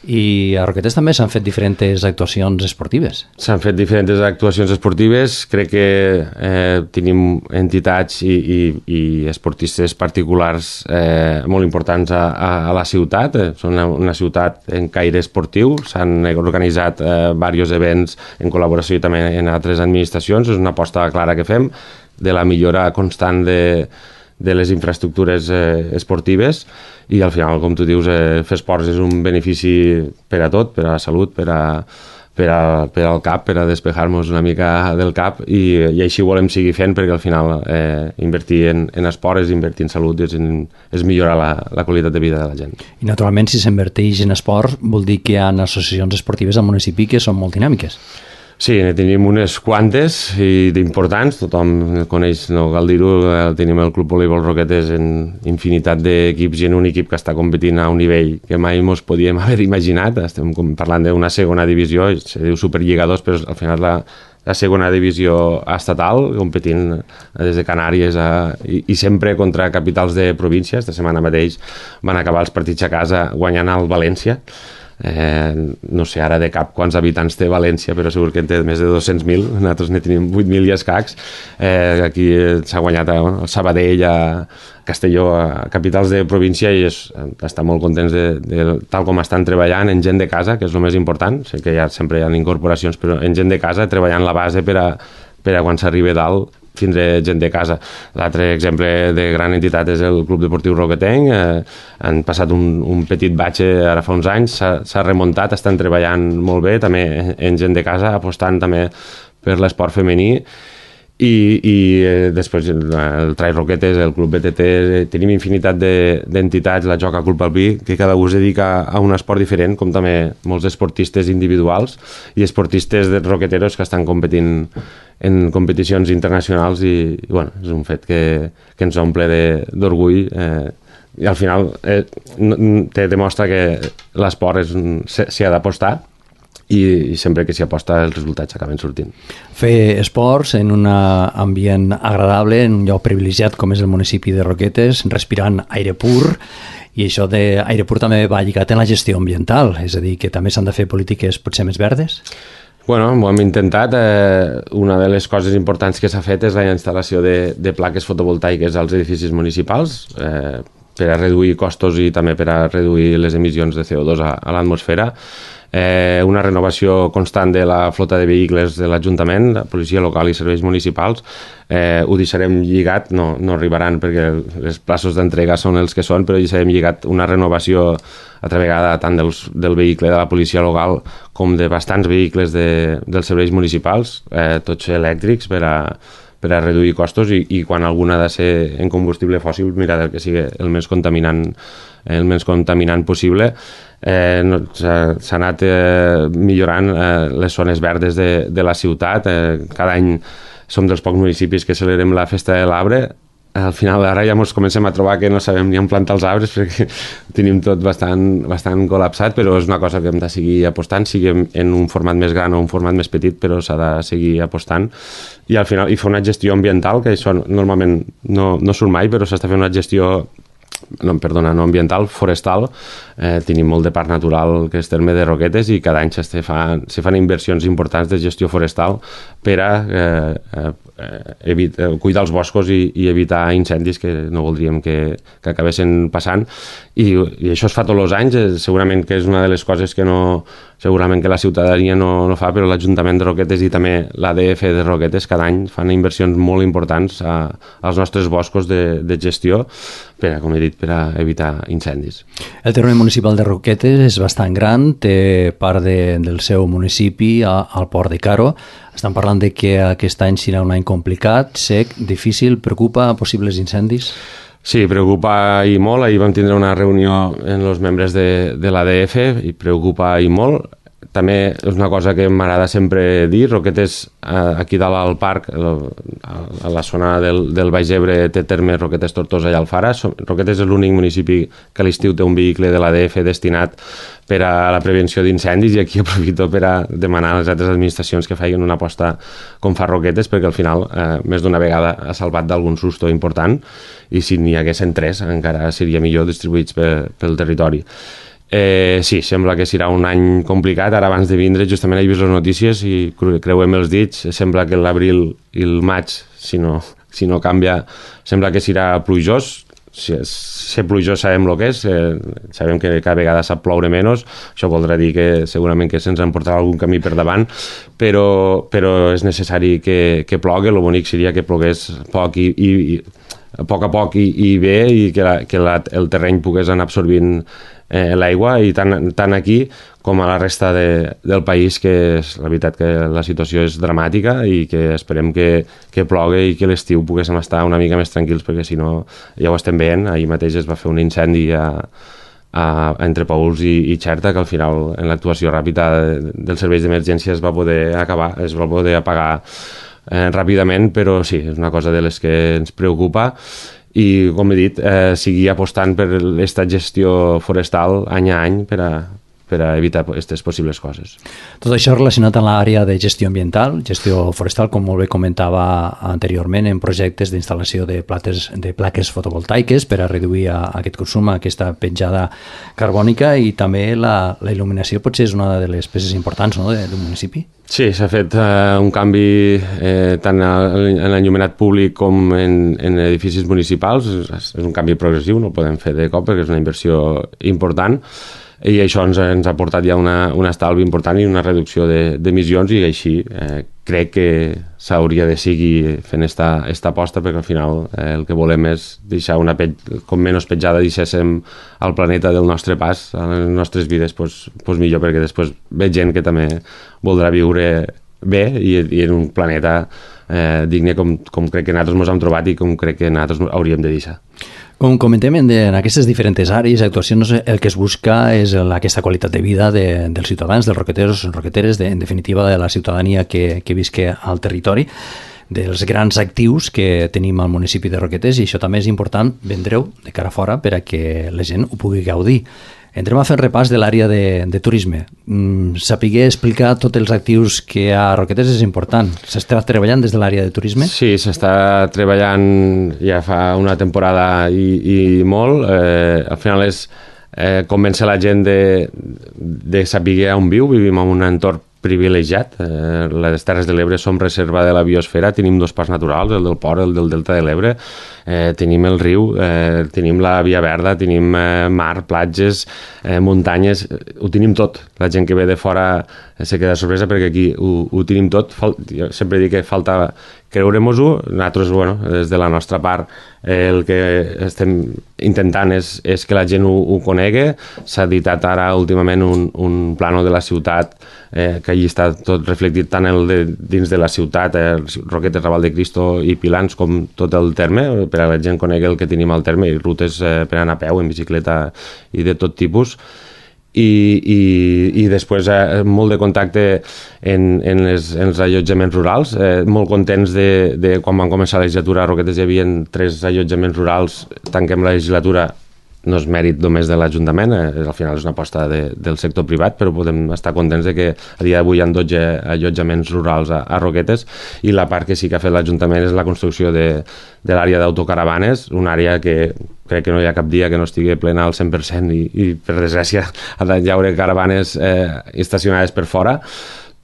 I a Roquetes també s'han fet diferents actuacions esportives. S'han fet diferents actuacions esportives. Crec que eh, tenim entitats i, i, i esportistes particulars eh, molt importants a, a, a la ciutat. Són una, una ciutat en caire esportiu. S'han organitzat eh, diversos events en col·laboració també en altres administracions. És una aposta clara que fem de la millora constant de de les infraestructures eh, esportives i al final, com tu dius, eh, fer esports és un benefici per a tot, per a la salut, per, a, per, a, per al cap, per a despejar-nos una mica del cap i, i així volem seguir fent perquè al final eh, invertir en, en esport és invertir en salut i és, en, és millorar la, la qualitat de vida de la gent. I naturalment si s'inverteix en esport vol dir que hi ha associacions esportives al municipi que són molt dinàmiques. Sí, ne tenim unes quantes i d'importants, tothom coneix, no cal dir-ho, tenim el Club Voleibol Roquetes en infinitat d'equips i en un equip que està competint a un nivell que mai ens podíem haver imaginat. Estem parlant d'una segona divisió, se diu Superliga dos, però al final la, la segona divisió estatal, competint des de Canàries a, i, i sempre contra capitals de província. Esta setmana mateix van acabar els partits a casa guanyant al València. Eh, no sé ara de cap quants habitants té València, però segur que en té més de dos-cents mil. Nosaltres ne tenim vuit mil i escacs. Eh, aquí s'ha guanyat a, a Sabadell, a Castelló, a capitals de província, i és, està molt contents de, de tal com estan treballant en gent de casa, que és el més important. Sé que ja sempre hi ha incorporacions, però en gent de casa treballant la base per a, per a quan s'arribi dalt tindre gent de casa. L'altre exemple de gran entitat és el Club Deportiu Roquetenc. Eh, han passat un, un petit batxe ara fa uns anys, s'ha remuntat, estan treballant molt bé, també en gent de casa, apostant també per l'esport femení. I, i eh, després el, el Trai Roquetes, el Club B T T, tenim infinitat d'entitats, de, la Joca Club Alpí, que cada un es dedica a un esport diferent, com també molts esportistes individuals i esportistes de roqueteros que estan competint en competicions internacionals, i, i bueno, és un fet que, que ens omple d'orgull, eh, i al final eh, te demostra que l'esport s'hi ha d'apostar, i, i sempre que s'hi aposta els resultats acaben sortint. Fer esports en un ambient agradable, en un lloc privilegiat com és el municipi de Roquetes, respirant aire pur, i això d'aire pur també va lligat en la gestió ambiental, és a dir, que també s'han de fer polítiques potser més verdes? Bueno, ho hem intentat. Eh, una de les coses importants que s'ha fet és la instal·lació de, de plaques fotovoltaiques als edificis municipals, eh, per a reduir costos i també per a reduir les emissions de C O dos a, a l'atmosfera. Eh, una renovació constant de la flota de vehicles de l'Ajuntament, la policia local i serveis municipals. Eh, ho deixarem lligat, no, no arribaran perquè els plaços d'entrega són els que són, però deixarem lligat una renovació altra vegada tant dels, del vehicle de la policia local com de bastants vehicles de, dels serveis municipals, eh, tots elèctrics, per a, per a reduir costos, i, i quan alguna ha de ser en combustible fòssil, mirar que sigui el més contaminant, el més contaminant possible. Eh, no, s'ha anat eh, millorant eh, les zones verdes de, de la ciutat. Eh, cada any som dels pocs municipis que celebrem la festa de l'arbre. Al final ara ja ens comencem a trobar que no sabem ni on plantar els arbres perquè tenim tot bastant, bastant col·lapsat, però és una cosa que hem de seguir apostant, siguem en un format més gran o un format més petit, però s'ha de seguir apostant. I al final i fer una gestió ambiental, que això normalment no, no surt mai, però s'està fent una gestió no, perdona, no ambiental, forestal. Eh, tenim molt de parc natural, que és terme de Roquetes, i cada any se fan, se fan inversions importants de gestió forestal per a eh, eh, evita, cuidar els boscos i, i evitar incendis que no voldríem que, que acabessin passant. I, i això es fa tots els anys. Eh, segurament que és una de les coses que no, segurament que la ciutadania no, no fa, però l'Ajuntament de Roquetes i també l'A D F de Roquetes cada any fan inversions molt importants a, als nostres boscos de, de gestió per a, com he dit, per a evitar incendis. El terme municipal de Roquetes és bastant gran, té part de, del seu municipi a, al port de Caro. Estan parlant de que aquest any serà un any complicat, sec, difícil, preocupa possibles incendis? Sí, preocupa i molt. Ahir vam tindre una reunió en els membres de, de l'A D F i preocupa i molt. També és una cosa que m'agrada sempre dir, Roquetes, aquí dalt al parc, a la zona del, del Baix Ebre, té terme Roquetes, Tortosa i Alfara. Roquetes és l'únic municipi que a l'estiu té un vehicle de l'A D F destinat per a la prevenció d'incendis, i aquí aprofito per a demanar a les altres administracions que facin una aposta com fa Roquetes, perquè al final eh, més d'una vegada ha salvat d'algun susto important, i si n'hi haguessin tres encara seria millor distribuïts pel, pel territori. Eh, sí, sembla que serà un any complicat. Ara abans de vindre justament he vist les notícies i creuem els dits, sembla que l'abril i el maig, si no, si no canvia, sembla que serà plujós. Si és, ser plujós sabem el que és, eh, sabem que cada vegada sap ploure menys, això voldrà dir que segurament que se'ns emportarà algun camí per davant, però, però és necessari que, que plogui. El bonic seria que plogués poc i, i, i a poc a poc i, i bé, i que, la, que la, el terreny pogués anar absorbint eh, l'aigua, i tant, tant aquí com a la resta de, del país, que és la veritat que la situació és dramàtica, i que esperem que, que plogui i que l'estiu poguéssim estar una mica més tranquils, perquè si no ja ho estem veient. Ahir mateix es va fer un incendi a, a, entre Paüls i, i Xerta, que al final en l'actuació ràpida de, dels serveis d'emergència es va poder acabar, es va poder apagar eh, ràpidament, però sí, és una cosa de les que ens preocupa. I, com he dit, eh, seguir apostant per aquesta gestió forestal any a any per a, per a evitar aquestes possibles coses. Tot això relacionat amb l'àrea de gestió ambiental, gestió forestal, com molt bé comentava anteriorment, en projectes d'instal·lació de, plates, de plaques fotovoltaiques per a reduir a, a aquest consum, a aquesta petjada carbònica, i també la, la il·luminació potser és una de les peces importants, no?, d'un municipi. Sí, s'ha fet eh, un canvi eh, tant en l'enllumenat públic com en, en edificis municipals. És, és un canvi progressiu, no el podem fer de cop perquè és una inversió important, i això ens, ens ha portat ja una, un estalvi important i una reducció d'emissions, i així eh, crec que s'hauria de seguir fent esta, esta aposta, perquè al final eh, el que volem és deixar una pell, com menys petjada deixéssim al planeta del nostre pas, a les nostres vides, pues, pues millor, perquè després ve gent que també voldrà viure bé i, i en un planeta eh, digne com, com crec que nosaltres ens hem trobat i com crec que nosaltres hauríem de deixar. Com comentem, en, en aquestes diferents àrees actuacions, el que es busca és la, aquesta qualitat de vida de, dels ciutadans, dels roqueteros, roqueteres, de, en definitiva de la ciutadania que, que visque al territori, dels grans actius que tenim al municipi de Roquetes, i això també és important vendre-ho de cara a fora per a que la gent ho pugui gaudir. Entrem a fer repàs de l'àrea de, de turisme. Mm, saber explicar tots els actius que hi ha a Roquetes és important. S'està treballant des de l'àrea de turisme? Sí, s'està treballant ja fa una temporada i, i molt. Eh, al final és eh, convèncer la gent de, de saber on viu. Vivim en un entorn privilegiat. Eh, les Terres de l'Ebre som reserva de la biosfera, tenim dos parcs naturals, el del Port i el del Delta de l'Ebre, eh, tenim el riu, eh, tenim la Via Verda, tenim eh, mar, platges, eh, muntanyes, ho tenim tot. La gent que ve de fora eh, se queda sorpresa perquè aquí ho, ho tenim tot. Fal jo sempre dic que falta creure-mos-ho. Nosaltres, bueno, des de la nostra part, eh, el que estem intentant és, és que la gent ho, ho conegui. S'ha editat ara últimament un, un plano de la ciutat, eh, que allí està tot reflectit tant el de, dins de la ciutat, eh, Roquetes, Raval de Cristo i Pilans, com tot el terme, per a la gent conegui el que tenim al terme, i rutes eh, per anar a peu, en bicicleta i de tot tipus. I, i, i després eh, molt de contacte en, en, les, en els allotjaments rurals, eh, molt contents de, de quan van començar la legislatura a Roquetes hi havia tres allotjaments rurals, tanquem la legislatura, no és mèrit només de l'Ajuntament, eh, al final és una aposta de, del sector privat, però podem estar contents de que a dia d'avui hi ha dotze allotjaments rurals a, a Roquetes, i la part que sí que ha fet l'Ajuntament és la construcció de, de l'àrea d'autocaravanes, una àrea que crec que no hi ha cap dia que no estigui plena al cent per cent, i, i per desgràcia hi haurà caravanes eh, estacionades per fora.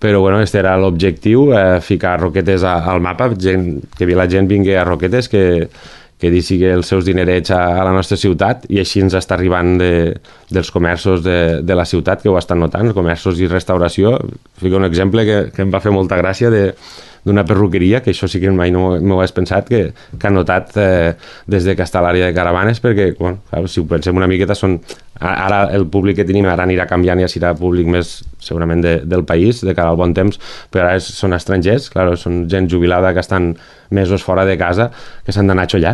Però bueno, aquest era l'objectiu, eh, ficar Roquetes a, al mapa, gent, que la gent vingui a Roquetes, que que deixi els seus dinerets a, a la nostra ciutat, i així ens està arribant de, dels comerços de, de la ciutat, que ho estan notant, comerços i restauració. Fico un exemple que, que em va fer molta gràcia de d'una perruqueria, que això sí que mai no m'ho hagués pensat, que, que han notat eh, des de que està a l'àrea de caravanes, perquè, bueno, clar, si ho pensem una miqueta, són, ara el públic que tenim ara anirà canviant, ja serà públic més segurament de, del país, de cara al bon temps, però ara és, són estrangers, clar, són gent jubilada que estan mesos fora de casa, que s'han d'anar a xollar.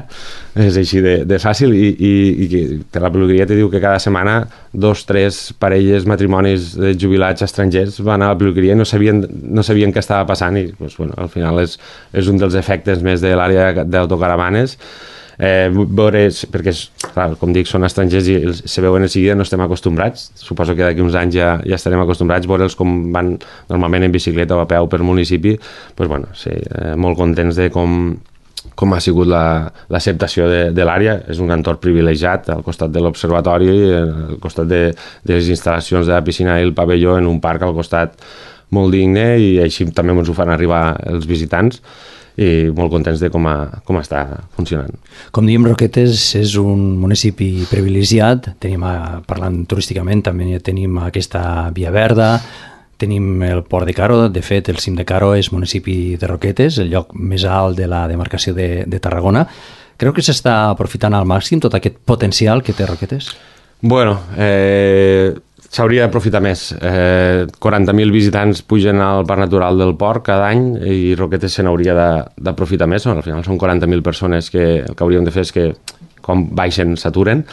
És així de, de fàcil, i, i, i que la peluqueria te diu que cada setmana dos, tres parelles, matrimonis de jubilats estrangers van a la peluqueria i no sabien, no sabien què estava passant, i doncs, bueno, al final és, és un dels efectes més de l'àrea d'autocaravanes. Eh, veure, perquè clar, com dic, són estrangers i se veuen en seguida, no estem acostumbrats, suposo que d'aquí uns anys ja, ja estarem acostumbrats, veure'ls com van normalment en bicicleta o a peu per municipi, doncs, bueno, sí, eh, molt contents de com, com ha sigut l'acceptació la, de, de l'àrea. És un entorn privilegiat al costat de l'observatori, al costat de, de les instal·lacions de la piscina i el pavelló, en un parc al costat molt digne, i així també ens ho fan arribar els visitants, i molt contents de com, a, com està funcionant. Com diem, Roquetes és un municipi privilegiat, tenim, parlant turísticament, també tenim aquesta Via Verda, tenim el Port de Caro, de fet el cim de Caro és municipi de Roquetes, el lloc més alt de la demarcació de, de Tarragona. Creu que s'està aprofitant al màxim tot aquest potencial que té Roquetes? Bueno, eh, s'hauria d'aprofitar més. Eh, quaranta mil visitants pugen al Parc Natural del Port cada any, i Roquetes se n'hauria d'aprofitar més. Al final són quaranta mil persones que el que hauríem de fer és que quan baixen s'aturen,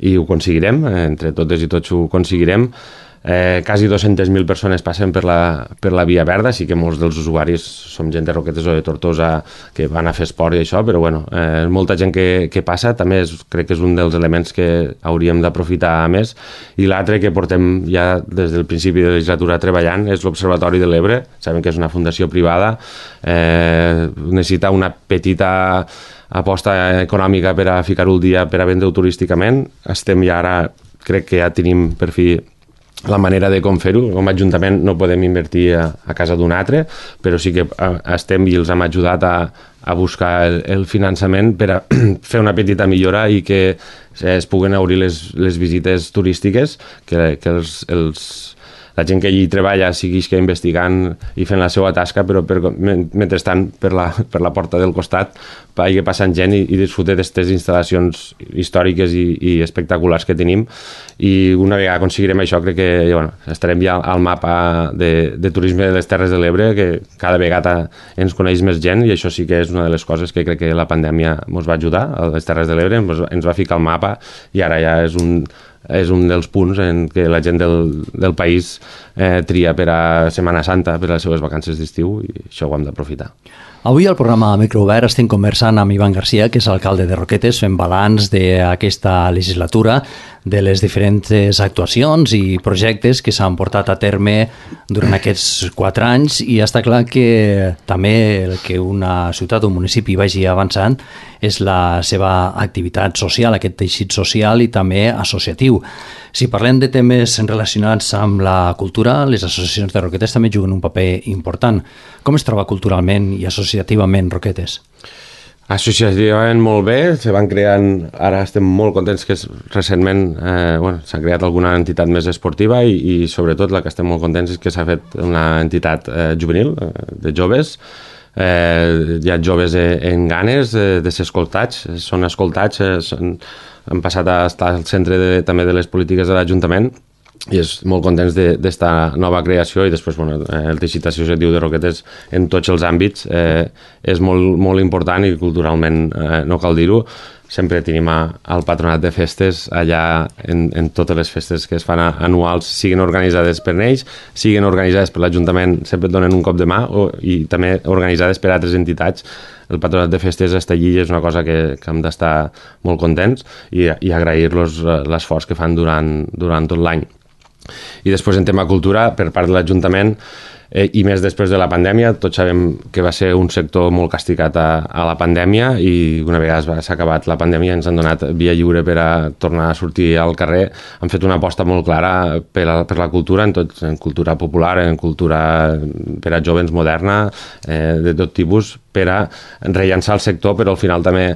i ho aconseguirem, entre totes i tots ho aconseguirem. Eh, quasi dues-centes mil persones passen per la, per la Via Verda, sí que molts dels usuaris som gent de Roquetes o de Tortosa que van a fer esport i això, però bueno, eh, molta gent que, que passa, també és, crec que és un dels elements que hauríem d'aprofitar més. I l'altre que portem ja des del principi de la legislatura treballant és l'Observatori de l'Ebre. Sabem que és una fundació privada, eh, necessita una petita aposta econòmica per a ficar-ho al dia, per a vendre-ho turísticament. Estem ja ara, crec que ja tenim per fi la manera de com fer-ho. Com a Ajuntament no podem invertir a, a casa d'un altre, però sí que estem i els hem ajudat a, a buscar el, el finançament per a fer una petita millora i que es puguen obrir les, les visites turístiques, que, que els, els, la gent que allí treballa segueix que investigant i fent la seva tasca, però per, mentrestant per la, per la porta del costat vagi passant gent i, i disfrutar d'aquestes instal·lacions històriques i, i espectaculars que tenim. I una vegada aconseguirem això, crec que bueno, estarem ja al mapa de, de turisme de les Terres de l'Ebre, que cada vegada ens coneix més gent, i això sí que és una de les coses que crec que la pandèmia ens va ajudar, a les Terres de l'Ebre, ens va ficar al mapa, i ara ja és un és un dels punts en què la gent del, del país eh, tria per a Setmana Santa, per a les seves vacances d'estiu, i això ho hem d'aprofitar. Avui al programa Microobert estem conversant amb Ivan Garcia, que és alcalde de Roquetes, fent balanç d'aquesta legislatura, de les diferents actuacions i projectes que s'han portat a terme durant aquests quatre anys, i està clar que també el que una ciutat o un municipi vagi avançant és la seva activitat social, aquest teixit social i també associatiu. Si parlem de temes relacionats amb la cultura, les associacions de Roquetes també juguen un paper important. Com es troba culturalment i associativament Roquetes? Associativament molt bé, se van creant, ara estem molt contents que recentment eh, bueno, s'ha creat alguna entitat més esportiva i, i sobretot la que estem molt contents és que s'ha fet una entitat eh, juvenil, eh, de joves. Eh, hi ha joves en ganes eh, de ser escoltats, són escoltats, eh, són, han passat a estar al centre de, també de les polítiques de l'Ajuntament, i és molt contents d'esta de, nova creació. I després bueno, el teixit associatiu de Roquetes en tots els àmbits eh, és molt, molt important, i culturalment eh, no cal dir-ho. Sempre tenim al patronat de festes allà en, en totes les festes que es fan anuals, siguin organitzades per ells, siguin organitzades per l'Ajuntament, sempre et donen un cop de mà, o, i també organitzades per altres entitats. El patronat de festes està allí i és una cosa que, que hem d'estar molt contents i, i agrair-los l'esforç que fan durant, durant tot l'any. I després en tema cultura, per part de l'Ajuntament, eh, i més després de la pandèmia, tots sabem que va ser un sector molt castigat a, a la pandèmia, i una vegada s'ha acabat la pandèmia ens han donat via lliure per a tornar a sortir al carrer. Han fet una aposta molt clara per, a, per la cultura, en, tot, en cultura popular, en cultura per a jovens moderna, eh, de tot tipus, per a rellançar el sector, però al final també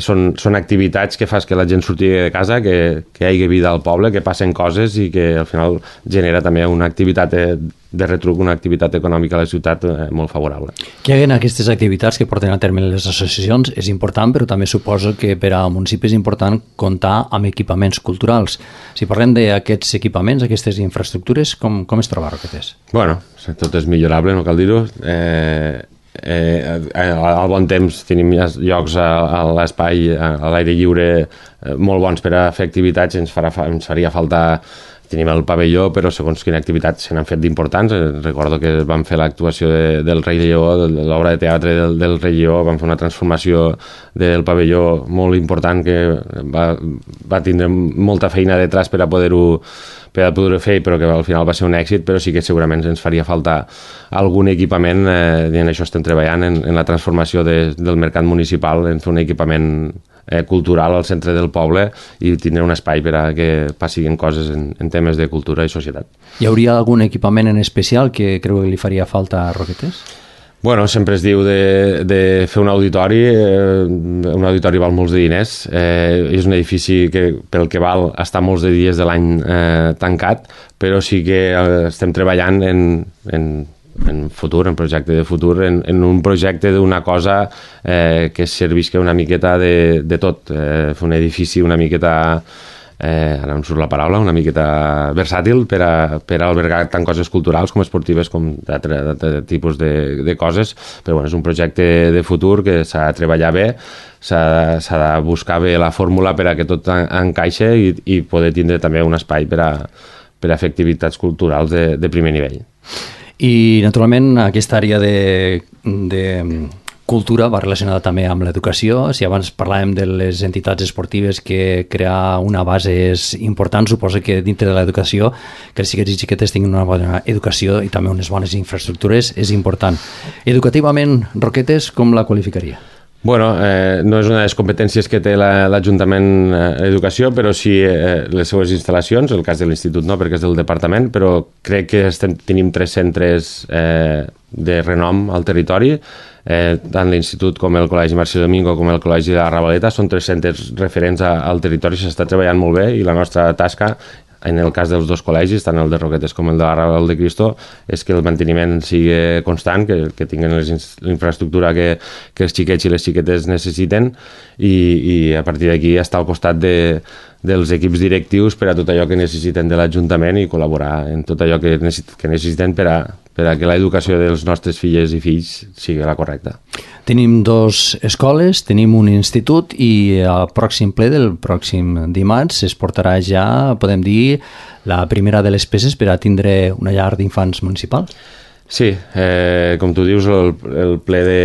són, són activitats que fas que la gent surti de casa, que, que hi hagi vida al poble, que passen coses i que al final genera també una activitat de, de retruc, una activitat econòmica a la ciutat eh, molt favorable. Que hi hagi aquestes activitats que porten a terme les associacions és important, però també suposo que per a municipi és important comptar amb equipaments culturals. Si parlem d'aquests equipaments, aquestes infraestructures, com, com es troba Roquetes? Bueno, tot és millorable, no cal dir-ho. Eh, eh, al bon temps tenim llocs a, a l'espai, a l'aire lliure, eh, molt bons per a fer activitats. Ens, farà, ens faria falta. Tenim el pavelló, però segons quina activitat se n'han fet d'importants. Recordo que vam fer l'actuació de, del Rei Lleó, de l'obra de teatre del, del Rei Lleó, vam fer una transformació del pavelló molt important que va, va tindre molta feina detrás per a poder-ho per a poder fer, però que al final va ser un èxit, però sí que segurament ens faria falta algun equipament, eh, i en això estem treballant, en, en la transformació de, del mercat municipal, en fer un equipament eh, cultural al centre del poble i tindre un espai per a que passin coses en, en temes de cultura i societat. Hi hauria algun equipament en especial que creu que li faria falta a Roquetes? Bueno, sempre es diu de, de fer un auditori, eh, un auditori val molts de diners, eh, és un edifici que pel que val està molts de dies de l'any eh, tancat, però sí que eh, estem treballant en, en, en futur, en projecte de futur, en, en un projecte d'una cosa eh, que servisca una miqueta de, de tot, eh, fer un edifici una miqueta... Eh, ara em surt la paraula, una miqueta versàtil per a, per a albergar tant coses culturals com esportives com d'altre tipus de, de coses, però bueno, és un projecte de futur que s'ha de treballar bé, s'ha de buscar bé la fórmula per a que tot encaixe i, i poder tindre també un espai per a, per a fer activitats culturals de, de primer nivell. I, naturalment, aquesta àrea de, de cultura va relacionada també amb l'educació. Si abans parlàvem de les entitats esportives que crear una base és important, suposa que dintre de l'educació que els xiquets i xiquetes tinguin una bona educació i també unes bones infraestructures és important. Educativament, Roquetes, com la qualificaria? Bueno, eh, no és una de les competències que té l'Ajuntament d'Educació, eh, però sí eh, les seues instal·lacions, el cas de l'Institut no, perquè és del departament, però crec que estem, tenim tres centres eh, de renom al territori, eh, tant l'Institut com el Col·legi Mercè Domingo com el Col·legi de la Ravaleta, són tres centres referents a, al territori, s'està treballant molt bé i la nostra tasca, en el cas dels dos col·legis, tant el de Roquetes com el de la Raval de Cristo, és que el manteniment sigui constant, que, que tinguin l'infraestructura que, que els xiquets i les xiquetes necessiten i, i a partir d'aquí estar al costat de, dels equips directius per a tot allò que necessiten de l'Ajuntament i col·laborar en tot allò que, necess que necessiten per a, per a que l'educació dels nostres filles i fills sigui la correcta. Tenim dos escoles, tenim un institut i al pròxim ple del pròxim dimarts es portarà ja, podem dir, la primera de les peces per a tindre una llar d'infants municipal. Sí, eh, com tu dius, el, el ple de,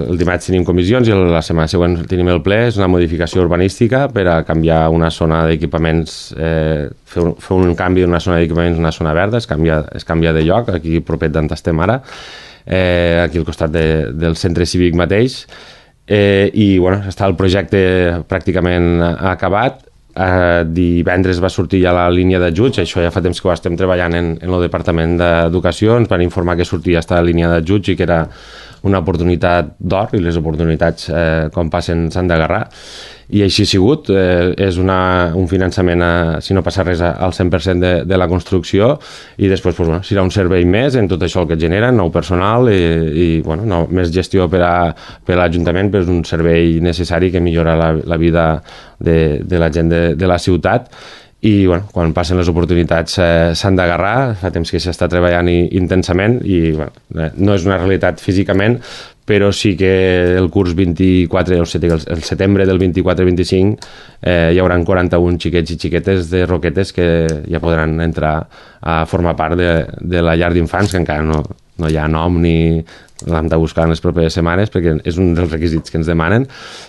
el dimarts tenim comissions i la setmana següent tenim el ple, és una modificació urbanística per a canviar una zona d'equipaments, eh, fer, un, fer un canvi d'una zona d'equipaments a una zona verda, es canvia, es canvia de lloc, aquí propet d'on estem ara, eh, aquí al costat de, del centre cívic mateix, eh, i bueno, està el projecte pràcticament acabat. Eh, divendres va sortir ja la línia d'ajuts, això ja fa temps que ho estem treballant en, en el Departament d'Educació, ens van informar que sortia aquesta línia d'ajuts i que era una oportunitat d'or i les oportunitats eh, com passen s'han d'agarrar i així ha sigut, eh, és una, un finançament, a, si no passa res, al cent per cent de, de la construcció i després pues, bueno, serà un servei més en tot això el que et genera, nou personal i, i bueno, no, més gestió per a, per a l'Ajuntament, però és un servei necessari que millora la, la vida de, de la gent de, de la ciutat i bueno, quan passen les oportunitats eh, s'han d'agarrar, fa temps que s'està treballant i, intensament i bueno, eh, no és una realitat físicament, però sí que el curs vint-i-quatre, o sigui, el setembre del vint-i-quatre vint-i-cinc eh, hi haurà quaranta-un xiquets i xiquetes de Roquetes que ja podran entrar a formar part de, de la llar d'infants, que encara no, no hi ha nom ni l'hem de buscar en les properes setmanes perquè és un dels requisits que ens demanen,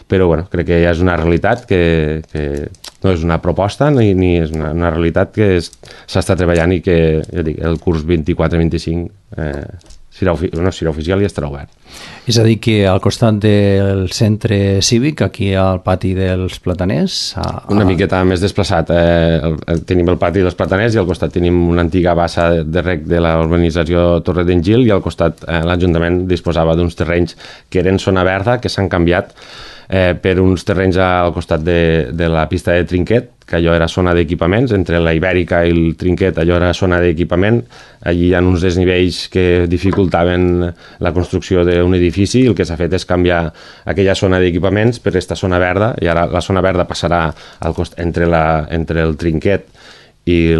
però bueno, crec que ja és una realitat que, que no és una proposta ni, ni és una, una realitat que s'està treballant i que ja dic, el curs vint-i-quatre vint-i-cinc eh, serà, no, serà oficial i estarà obert. És a dir, que al costat del centre cívic, aquí al pati dels Plataners... A... Una miqueta més desplaçat. Eh, el, el, tenim el pati dels Plataners i al costat tenim una antiga bassa de rec de la urbanització Torre d'en Gil i al costat eh, l'Ajuntament disposava d'uns terrenys que eren zona verda, que s'han canviat eh, per uns terrenys al costat de, de la pista de Trinquet, que allò era zona d'equipaments, entre la Ibèrica i el Trinquet allò era zona d'equipament, allí hi ha uns desnivells que dificultaven la construcció d'un edifici i el que s'ha fet és canviar aquella zona d'equipaments per aquesta zona verda i ara la zona verda passarà al cost, entre, la, entre el Trinquet i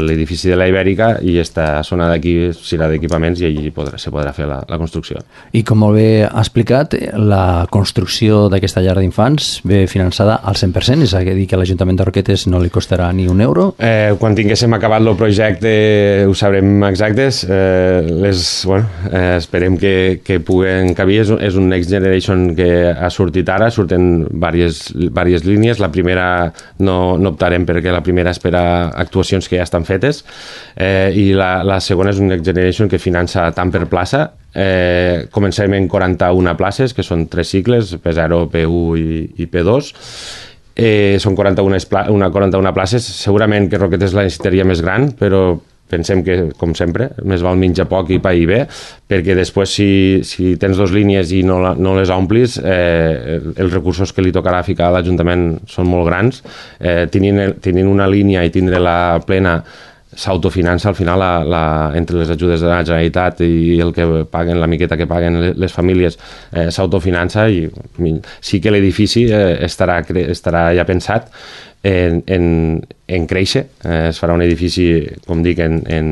l'edifici de la Ibèrica i aquesta zona d'aquí serà d'equipaments i allí podrà, se podrà fer la, la construcció. I com molt bé ha explicat, la construcció d'aquesta llar d'infants ve finançada al cent per cent, és a dir que a l'Ajuntament de Roquetes no li costarà ni un euro? Eh, quan tinguéssim acabat el projecte ho sabrem exactes, eh, les, bueno, eh, esperem que, que puguen cabir, és, és un Next Generation que ha sortit ara, surten diverses, diverses línies, la primera no, no optarem perquè la primera espera actuacions que ja estan fetes eh, i la, la segona és un Next Generation que finança tant per plaça, eh, comencem en quaranta-una places que són tres cicles, P zero, P u i, i P dos, eh, són quaranta-una, una, quaranta-una places, segurament que Roquetes la necessitaria més gran, però pensem que, com sempre, més val menjar poc i pair bé, perquè després si, si tens dues línies i no, la, no les omplis, eh, els recursos que li tocarà ficar a l'Ajuntament són molt grans. Eh, tenint, tenint una línia i tindre la plena s'autofinança al final la, la, entre les ajudes de la Generalitat i el que paguen, la miqueta que paguen les famílies eh, s'autofinança i sí que l'edifici eh, estarà, estarà ja pensat en, en, en créixer, eh, es farà un edifici, com dic, en, en,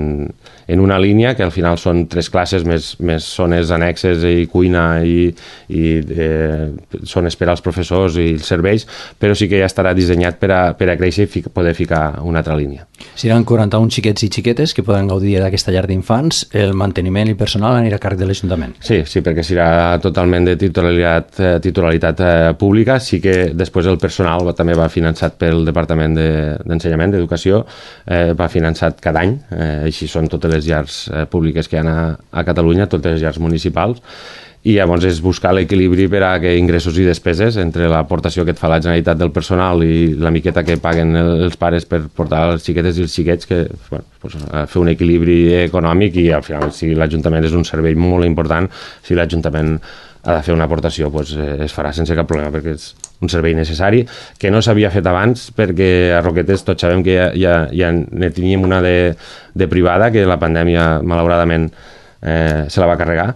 en una línia, que al final són tres classes més, més zones annexes i cuina i, i eh, zones per als professors i els serveis, però sí que ja estarà dissenyat per a, per a créixer i fic, poder ficar una altra línia. Seran quaranta-un xiquets i xiquetes que poden gaudir d'aquesta llar d'infants. El manteniment i personal anirà a càrrec de l'Ajuntament. Sí, sí, perquè serà totalment de titularitat, eh, titularitat eh, pública. Sí que després el personal va, també va finançat pel Departament d'Ensenyament, de, d'Educació, eh, va finançat cada any, eh, així són totes les llars eh, públiques que hi ha a, a Catalunya, totes les llars municipals, i llavors és buscar l'equilibri per a que ingressos i despeses entre l'aportació que et fa la Generalitat del personal i la miqueta que paguen els pares per portar les xiquetes i els xiquets, que bueno, pues, fer un equilibri econòmic, i al final si l'Ajuntament és un servei molt important, si l'Ajuntament ha de fer una aportació, pues, es farà sense cap problema, perquè és un servei necessari que no s'havia fet abans, perquè a Roquetes tots sabem que ja, ja, ja ne teníem una de, de privada, que la pandèmia malauradament eh, se la va carregar,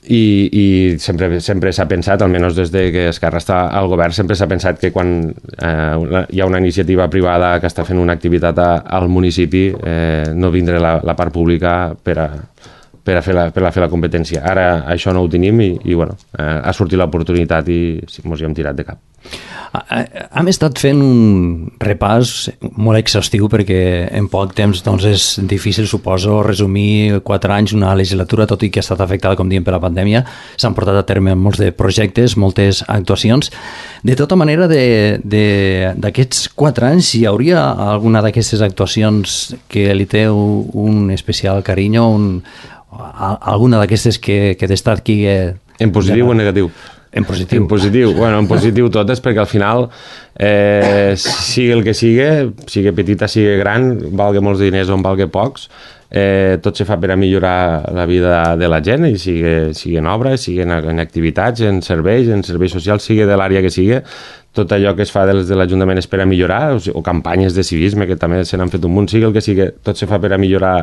i, i sempre, sempre s'ha pensat, almenys des de que Esquerra està al govern, sempre s'ha pensat que quan eh, hi ha una iniciativa privada que està fent una activitat a, al municipi, eh, no vindrà la, la part pública per a, per a, fer la, per a fer la competència. Ara això no ho tenim i, i bueno, eh, ha sortit l'oportunitat i sí, mos hi hem tirat de cap. Hem estat fent un repàs molt exhaustiu, perquè en poc temps doncs, és difícil, suposo, resumir quatre anys, una legislatura, tot i que ha estat afectada, com diem, per la pandèmia. S'han portat a terme molts de projectes, moltes actuacions. De tota manera, d'aquests quatre anys, hi hauria alguna d'aquestes actuacions que li té un especial carinyo, un, alguna d'aquestes que, que destaqui... Eh, en positiu o negatiu? En positiu. En positiu, bueno, en positiu totes, perquè al final, eh, sigui el que sigui, sigui petita, sigui gran, valgui molts diners o en valgui pocs, eh, tot se fa per a millorar la vida de la gent, i sigui, sigui en obres, sigui en, en activitats, en serveis, en serveis socials, sigui de l'àrea que sigui, tot allò que es fa des de l'Ajuntament és per a millorar, o, sigui, o campanyes de civisme, que també se n'han fet un munt, sigui el que sigui, tot se fa per a millorar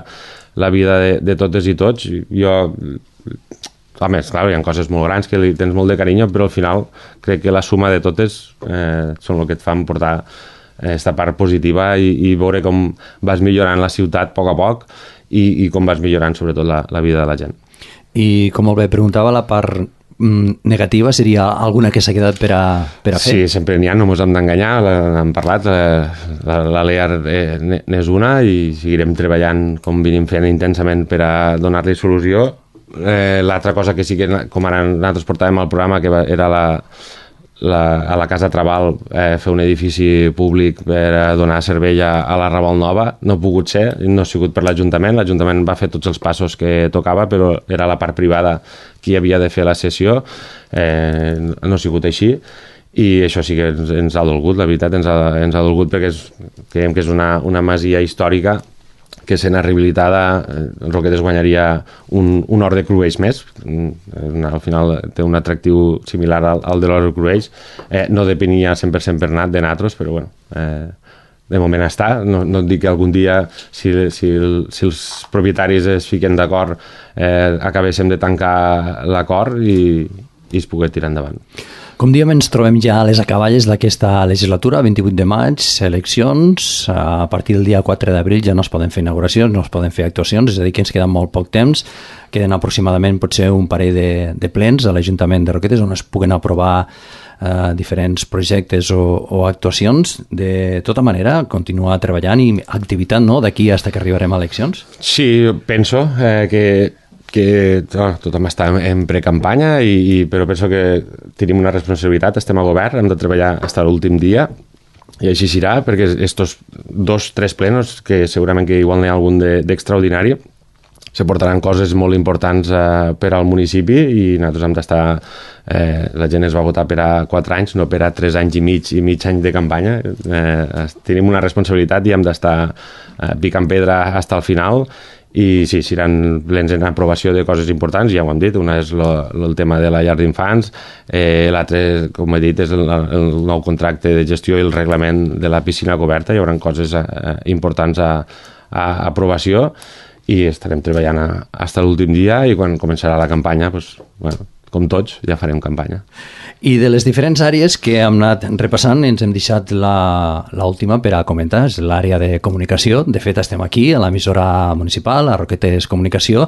la vida de, de totes i tots. Jo... A més, clar, hi ha coses molt grans que li tens molt de carinyo, però al final crec que la suma de totes eh, són el que et fan portar aquesta part positiva i, i veure com vas millorant la ciutat a poc a poc i, i com vas millorant sobretot la, la vida de la gent. I com molt bé preguntava, la part mm, negativa seria alguna que s'ha quedat per a, per a fer? Sí, sempre n'hi ha, no ens hem d'enganyar, n'hem parlat, la, la Lear eh, n'és una i seguirem treballant com venim fent intensament per a donar-li solució. Eh, l'altra cosa que sí que, com ara nosaltres portàvem al programa, que era la, la, a la Casa Trabal, eh, fer un edifici públic per a donar servei a, a la Raval Nova, no ha pogut ser, no ha sigut per l'Ajuntament, l'Ajuntament va fer tots els passos que tocava, però era la part privada qui havia de fer la sessió, eh, no ha sigut així, i això sí que ens, ens ha dolgut, la veritat ens ha, ens ha dolgut, perquè és, creiem que és una, una masia històrica que sent rehabilitada, Roquetes guanyaria un, un hort de cruells més. Al final té un atractiu similar al, al de l'hort de cruells. Eh, no depenia cent per cent per nat de natros, però bueno, eh, de moment està. No, no et dic que algun dia, si, si, el, si els propietaris es fiquen d'acord, eh, acabéssim de tancar l'acord i, i es pugui tirar endavant. Com diem, ens trobem ja a les acaballes d'aquesta legislatura, vint-i-vuit de maig, eleccions, a partir del dia quatre d'abril ja no es poden fer inauguracions, no es poden fer actuacions, és a dir, que ens queda molt poc temps, queden aproximadament potser un parell de, de plens a l'Ajuntament de Roquetes on es puguen aprovar eh, diferents projectes o, o actuacions. De tota manera, continuar treballant i activitat, no?, d'aquí fins que arribarem a eleccions? Sí, penso eh, que que oh, tothom està en, en precampanya, i, i, però penso que tenim una responsabilitat, estem a govern, hem de treballar fins a l'últim dia, i així serà, perquè estos dos, tres plenos, que segurament que igual n'hi ha algun d'extraordinari, de, se portaran coses molt importants eh, per al municipi, i nosaltres hem d'estar, eh, la gent es va votar per a quatre anys, no per a tres anys i mig i mig any de campanya. Eh, tenim una responsabilitat i hem d'estar eh, picant pedra fins al final, i sí, seran plens en aprovació de coses importants, ja ho hem dit, una és lo, lo, el tema de la llar d'infants, eh, l'altre, com he dit, és el, el nou contracte de gestió i el reglament de la piscina coberta. Hi haurà coses eh, importants a, a aprovació i estarem treballant fins a l'últim dia, i quan començarà la campanya, pues, bueno, com tots, ja farem campanya. I de les diferents àrees que hem anat repassant, ens hem deixat l'última per a comentar, és l'àrea de comunicació. De fet, estem aquí, a l'emissora municipal, a Roquetes Comunicació.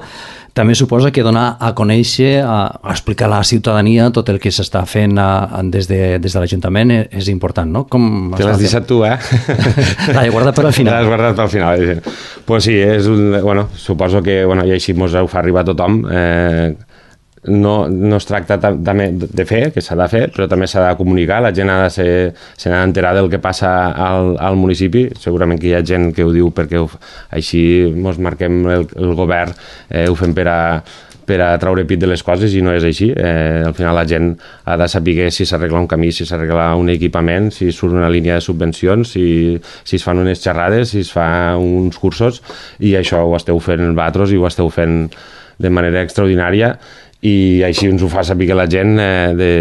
També suposa que donar a conèixer, a, a explicar a la ciutadania tot el que s'està fent a, des de, des de l'Ajuntament és important, no? Com te l'has deixat tu, eh? L'he guardat per al final. L'has guardat per al final. Doncs pues sí, és un, bueno, suposo que bueno, i així mos ho fa arribar a tothom. Eh, no, no es tracta també de fer, que s'ha de fer, però també s'ha de comunicar, la gent ha de ser, se n'ha d'enterar del que passa al, al municipi. Segurament que hi ha gent que ho diu perquè ho, així mos marquem el, el govern, eh, ho fem per a per a traure pit de les coses, i no és així. Eh, al final la gent ha de saber si s'arregla un camí, si s'arregla un equipament, si surt una línia de subvencions, si, si es fan unes xerrades, si es fa uns cursos, i això ho esteu fent vosaltres i ho esteu fent de manera extraordinària, i així ens ho fa saber que la gent eh, de,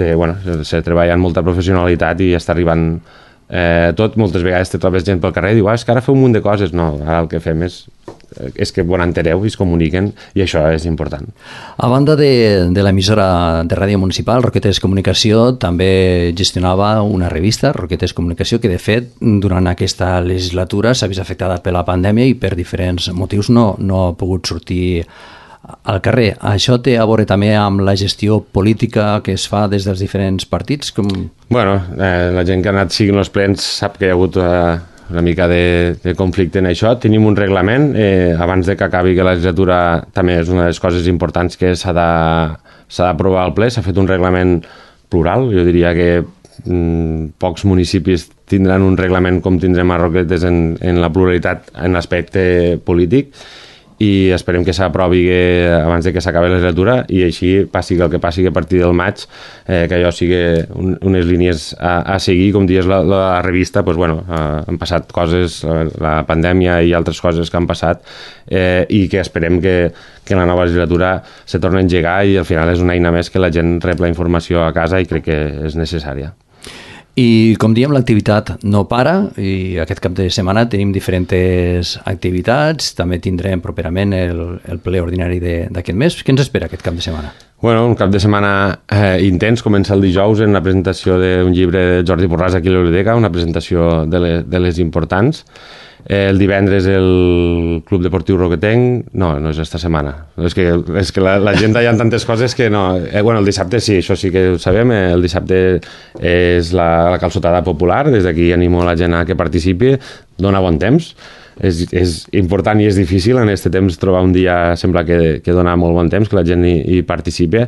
de, bueno, se treballa amb molta professionalitat i està arribant eh, tot. Moltes vegades te trobes gent pel carrer i diu, ah, és que ara feu un munt de coses. No, ara el que fem és és que bon entereu i es comuniquen, i això és important. A banda de, de l'emissora de ràdio municipal, Roquetes Comunicació també gestionava una revista, Roquetes Comunicació, que de fet durant aquesta legislatura s'ha vist afectada per la pandèmia i per diferents motius no, no ha pogut sortir al carrer. Això té a veure també amb la gestió política que es fa des dels diferents partits? Com... Bueno, eh, la gent que ha anat siguin els plens sap que hi ha hagut eh, una mica de, de conflicte en això. Tenim un reglament, eh, abans de que acabi que la legislatura també és una de les coses importants que s'ha d'aprovar al ple. S'ha fet un reglament plural, jo diria que mm, pocs municipis tindran un reglament com tindrem a Roquetes en, en la pluralitat en l'aspecte polític, i esperem que s'aprovi abans de que s'acabi la legislatura, i així passi el que passi a partir del maig, eh, que allò sigui un, unes línies a, a seguir. Com dius, la, la revista, pues, bueno, eh, han passat coses, la, la pandèmia i altres coses que han passat, eh, i que esperem que, que la nova legislatura se torni a engegar, i al final és una eina més que la gent rep la informació a casa, i crec que és necessària. I com diem, l'activitat no para, i aquest cap de setmana tenim diferents activitats. També tindrem properament el, el ple ordinari d'aquest mes. Què ens espera aquest cap de setmana? Bueno, un cap de setmana eh, intens. Comença el dijous en la presentació d'un llibre de Jordi Borràs aquí a la biblioteca, una presentació de les, de les importants. Eh, el divendres el Club Deportiu Roquetenc, no, no és esta setmana, és que, és que la, la gent hi ha tantes coses que no. Eh, bueno, el dissabte sí, això sí que ho sabem, eh, el dissabte és la, la calçotada popular, des d'aquí animo la gent a que participi, dona bon temps. És, és important i és difícil en aquest temps trobar un dia, sembla que, que dona molt bon temps, que la gent hi, hi participi.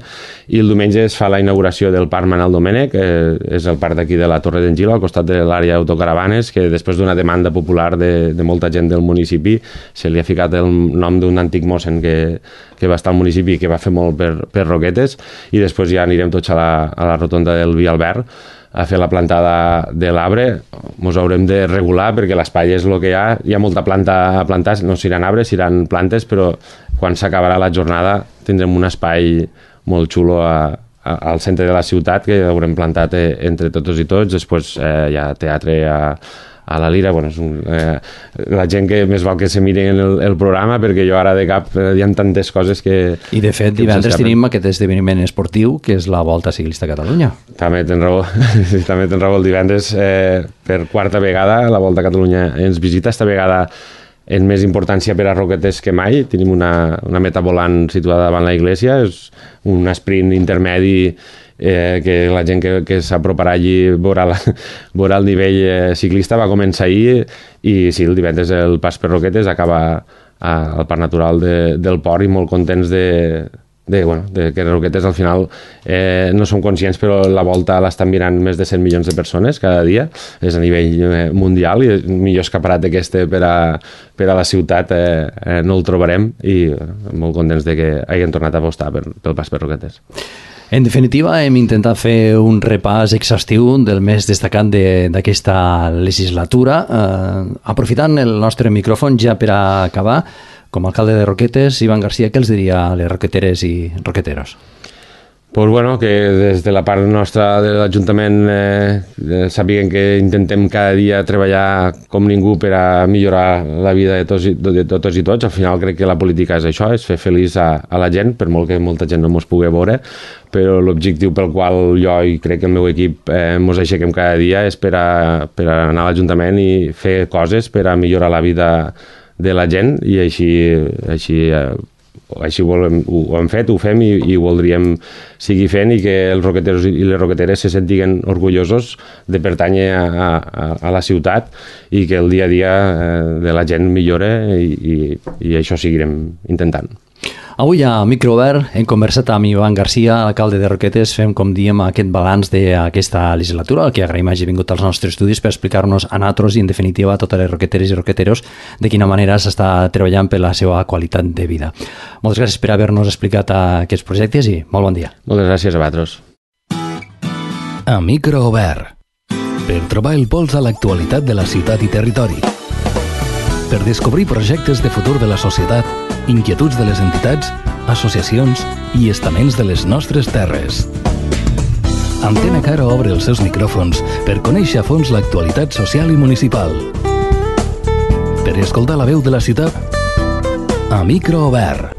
I el diumenge es fa la inauguració del Parc Manel Domènech, eh, és el parc d'aquí de la Torre d'en Gil, al costat de l'àrea d'autocaravanes, que després d'una demanda popular de, de molta gent del municipi se li ha ficat el nom d'un antic mossen que, que va estar al municipi i que va fer molt per, per Roquetes. I després ja anirem tots a la, a la rotonda del Vi Albert a fer la plantada de l'arbre. Ens haurem de regular perquè l'espai és el que hi ha. Hi ha molta planta a plantar, no seran arbres, seran plantes, però quan s'acabarà la jornada tindrem un espai molt xulo a, a, al centre de la ciutat que haurem plantat eh, entre tots i tots. Després eh, hi ha teatre a, a la Lira. Bueno, és un, eh, la gent que més val que se miren el, el programa, perquè jo ara de cap eh, hi ha tantes coses que... I de fet, divendres tenim aquest esdeveniment esportiu que és la Volta Ciclista a Catalunya. També tens raó, també tens raó. El divendres, eh, per quarta vegada, la Volta a Catalunya ens visita, esta vegada en més importància per a Roquetes que mai. Tenim una, una meta volant situada davant la iglesia, és un sprint intermedi eh, que la gent que, que s'aproparà allí veurà, la, veurà el nivell eh, ciclista. Va començar ahir, i sí, el divendres el pas per Roquetes acaba a, al Parc Natural de, del Port, i molt contents de, de, bueno, de que Roquetes al final eh, no som conscients, però la volta l'estan mirant més de cent milions de persones cada dia. És a nivell eh, mundial, i el millor escaparat d'aqueste per, a, per a la ciutat eh, eh, no el trobarem, i eh, molt contents de que hagin tornat a apostar per, pel pas per Roquetes. En definitiva, hem intentat fer un repàs exhaustiu del més destacat d'aquesta legislatura. Eh, aprofitant el nostre micròfon ja per a acabar, com a alcalde de Roquetes, Ivan García, què els diria a les roqueteres i roqueteros? Pues bueno, que des de la part nostra de l'Ajuntament eh, sàpiguen que intentem cada dia treballar com ningú per a millorar la vida de tots, i, de totes i tots. Al final crec que la política és això, és fer feliç a, a la gent, per molt que molta gent no mos pugui veure, però l'objectiu pel qual jo i crec que el meu equip eh, mos aixequem cada dia és per a, per a anar a l'Ajuntament i fer coses per a millorar la vida de la gent, i així, així eh, així volem, ho, ho hem fet, ho fem i, i voldríem seguir fent, i que els roqueteros i les roqueteres se sentiguen orgullosos de pertànyer a, a, a la ciutat, i que el dia a dia eh, de la gent millore, i, i, i això seguirem intentant. Avui a Microobert hem conversat amb Ivan Garcia, alcalde de Roquetes. Fem, com diem, aquest balanç d'aquesta legislatura, al que agraïm hagi vingut als nostres estudis per explicar-nos a nosaltres i, en definitiva, a totes les roqueteres i roqueteros de quina manera s'està treballant per la seva qualitat de vida. Moltes gràcies per haver-nos explicat aquests projectes i molt bon dia. Moltes gràcies a vosaltres. A Microobert, per trobar el pols a l'actualitat de la ciutat i territori, per descobrir projectes de futur de la societat, inquietuds de les entitats, associacions i estaments de les nostres terres. Antena Caro obre els seus micròfons per conèixer a fons l'actualitat social i municipal. Per escoltar la veu de la ciutat, a Microobert.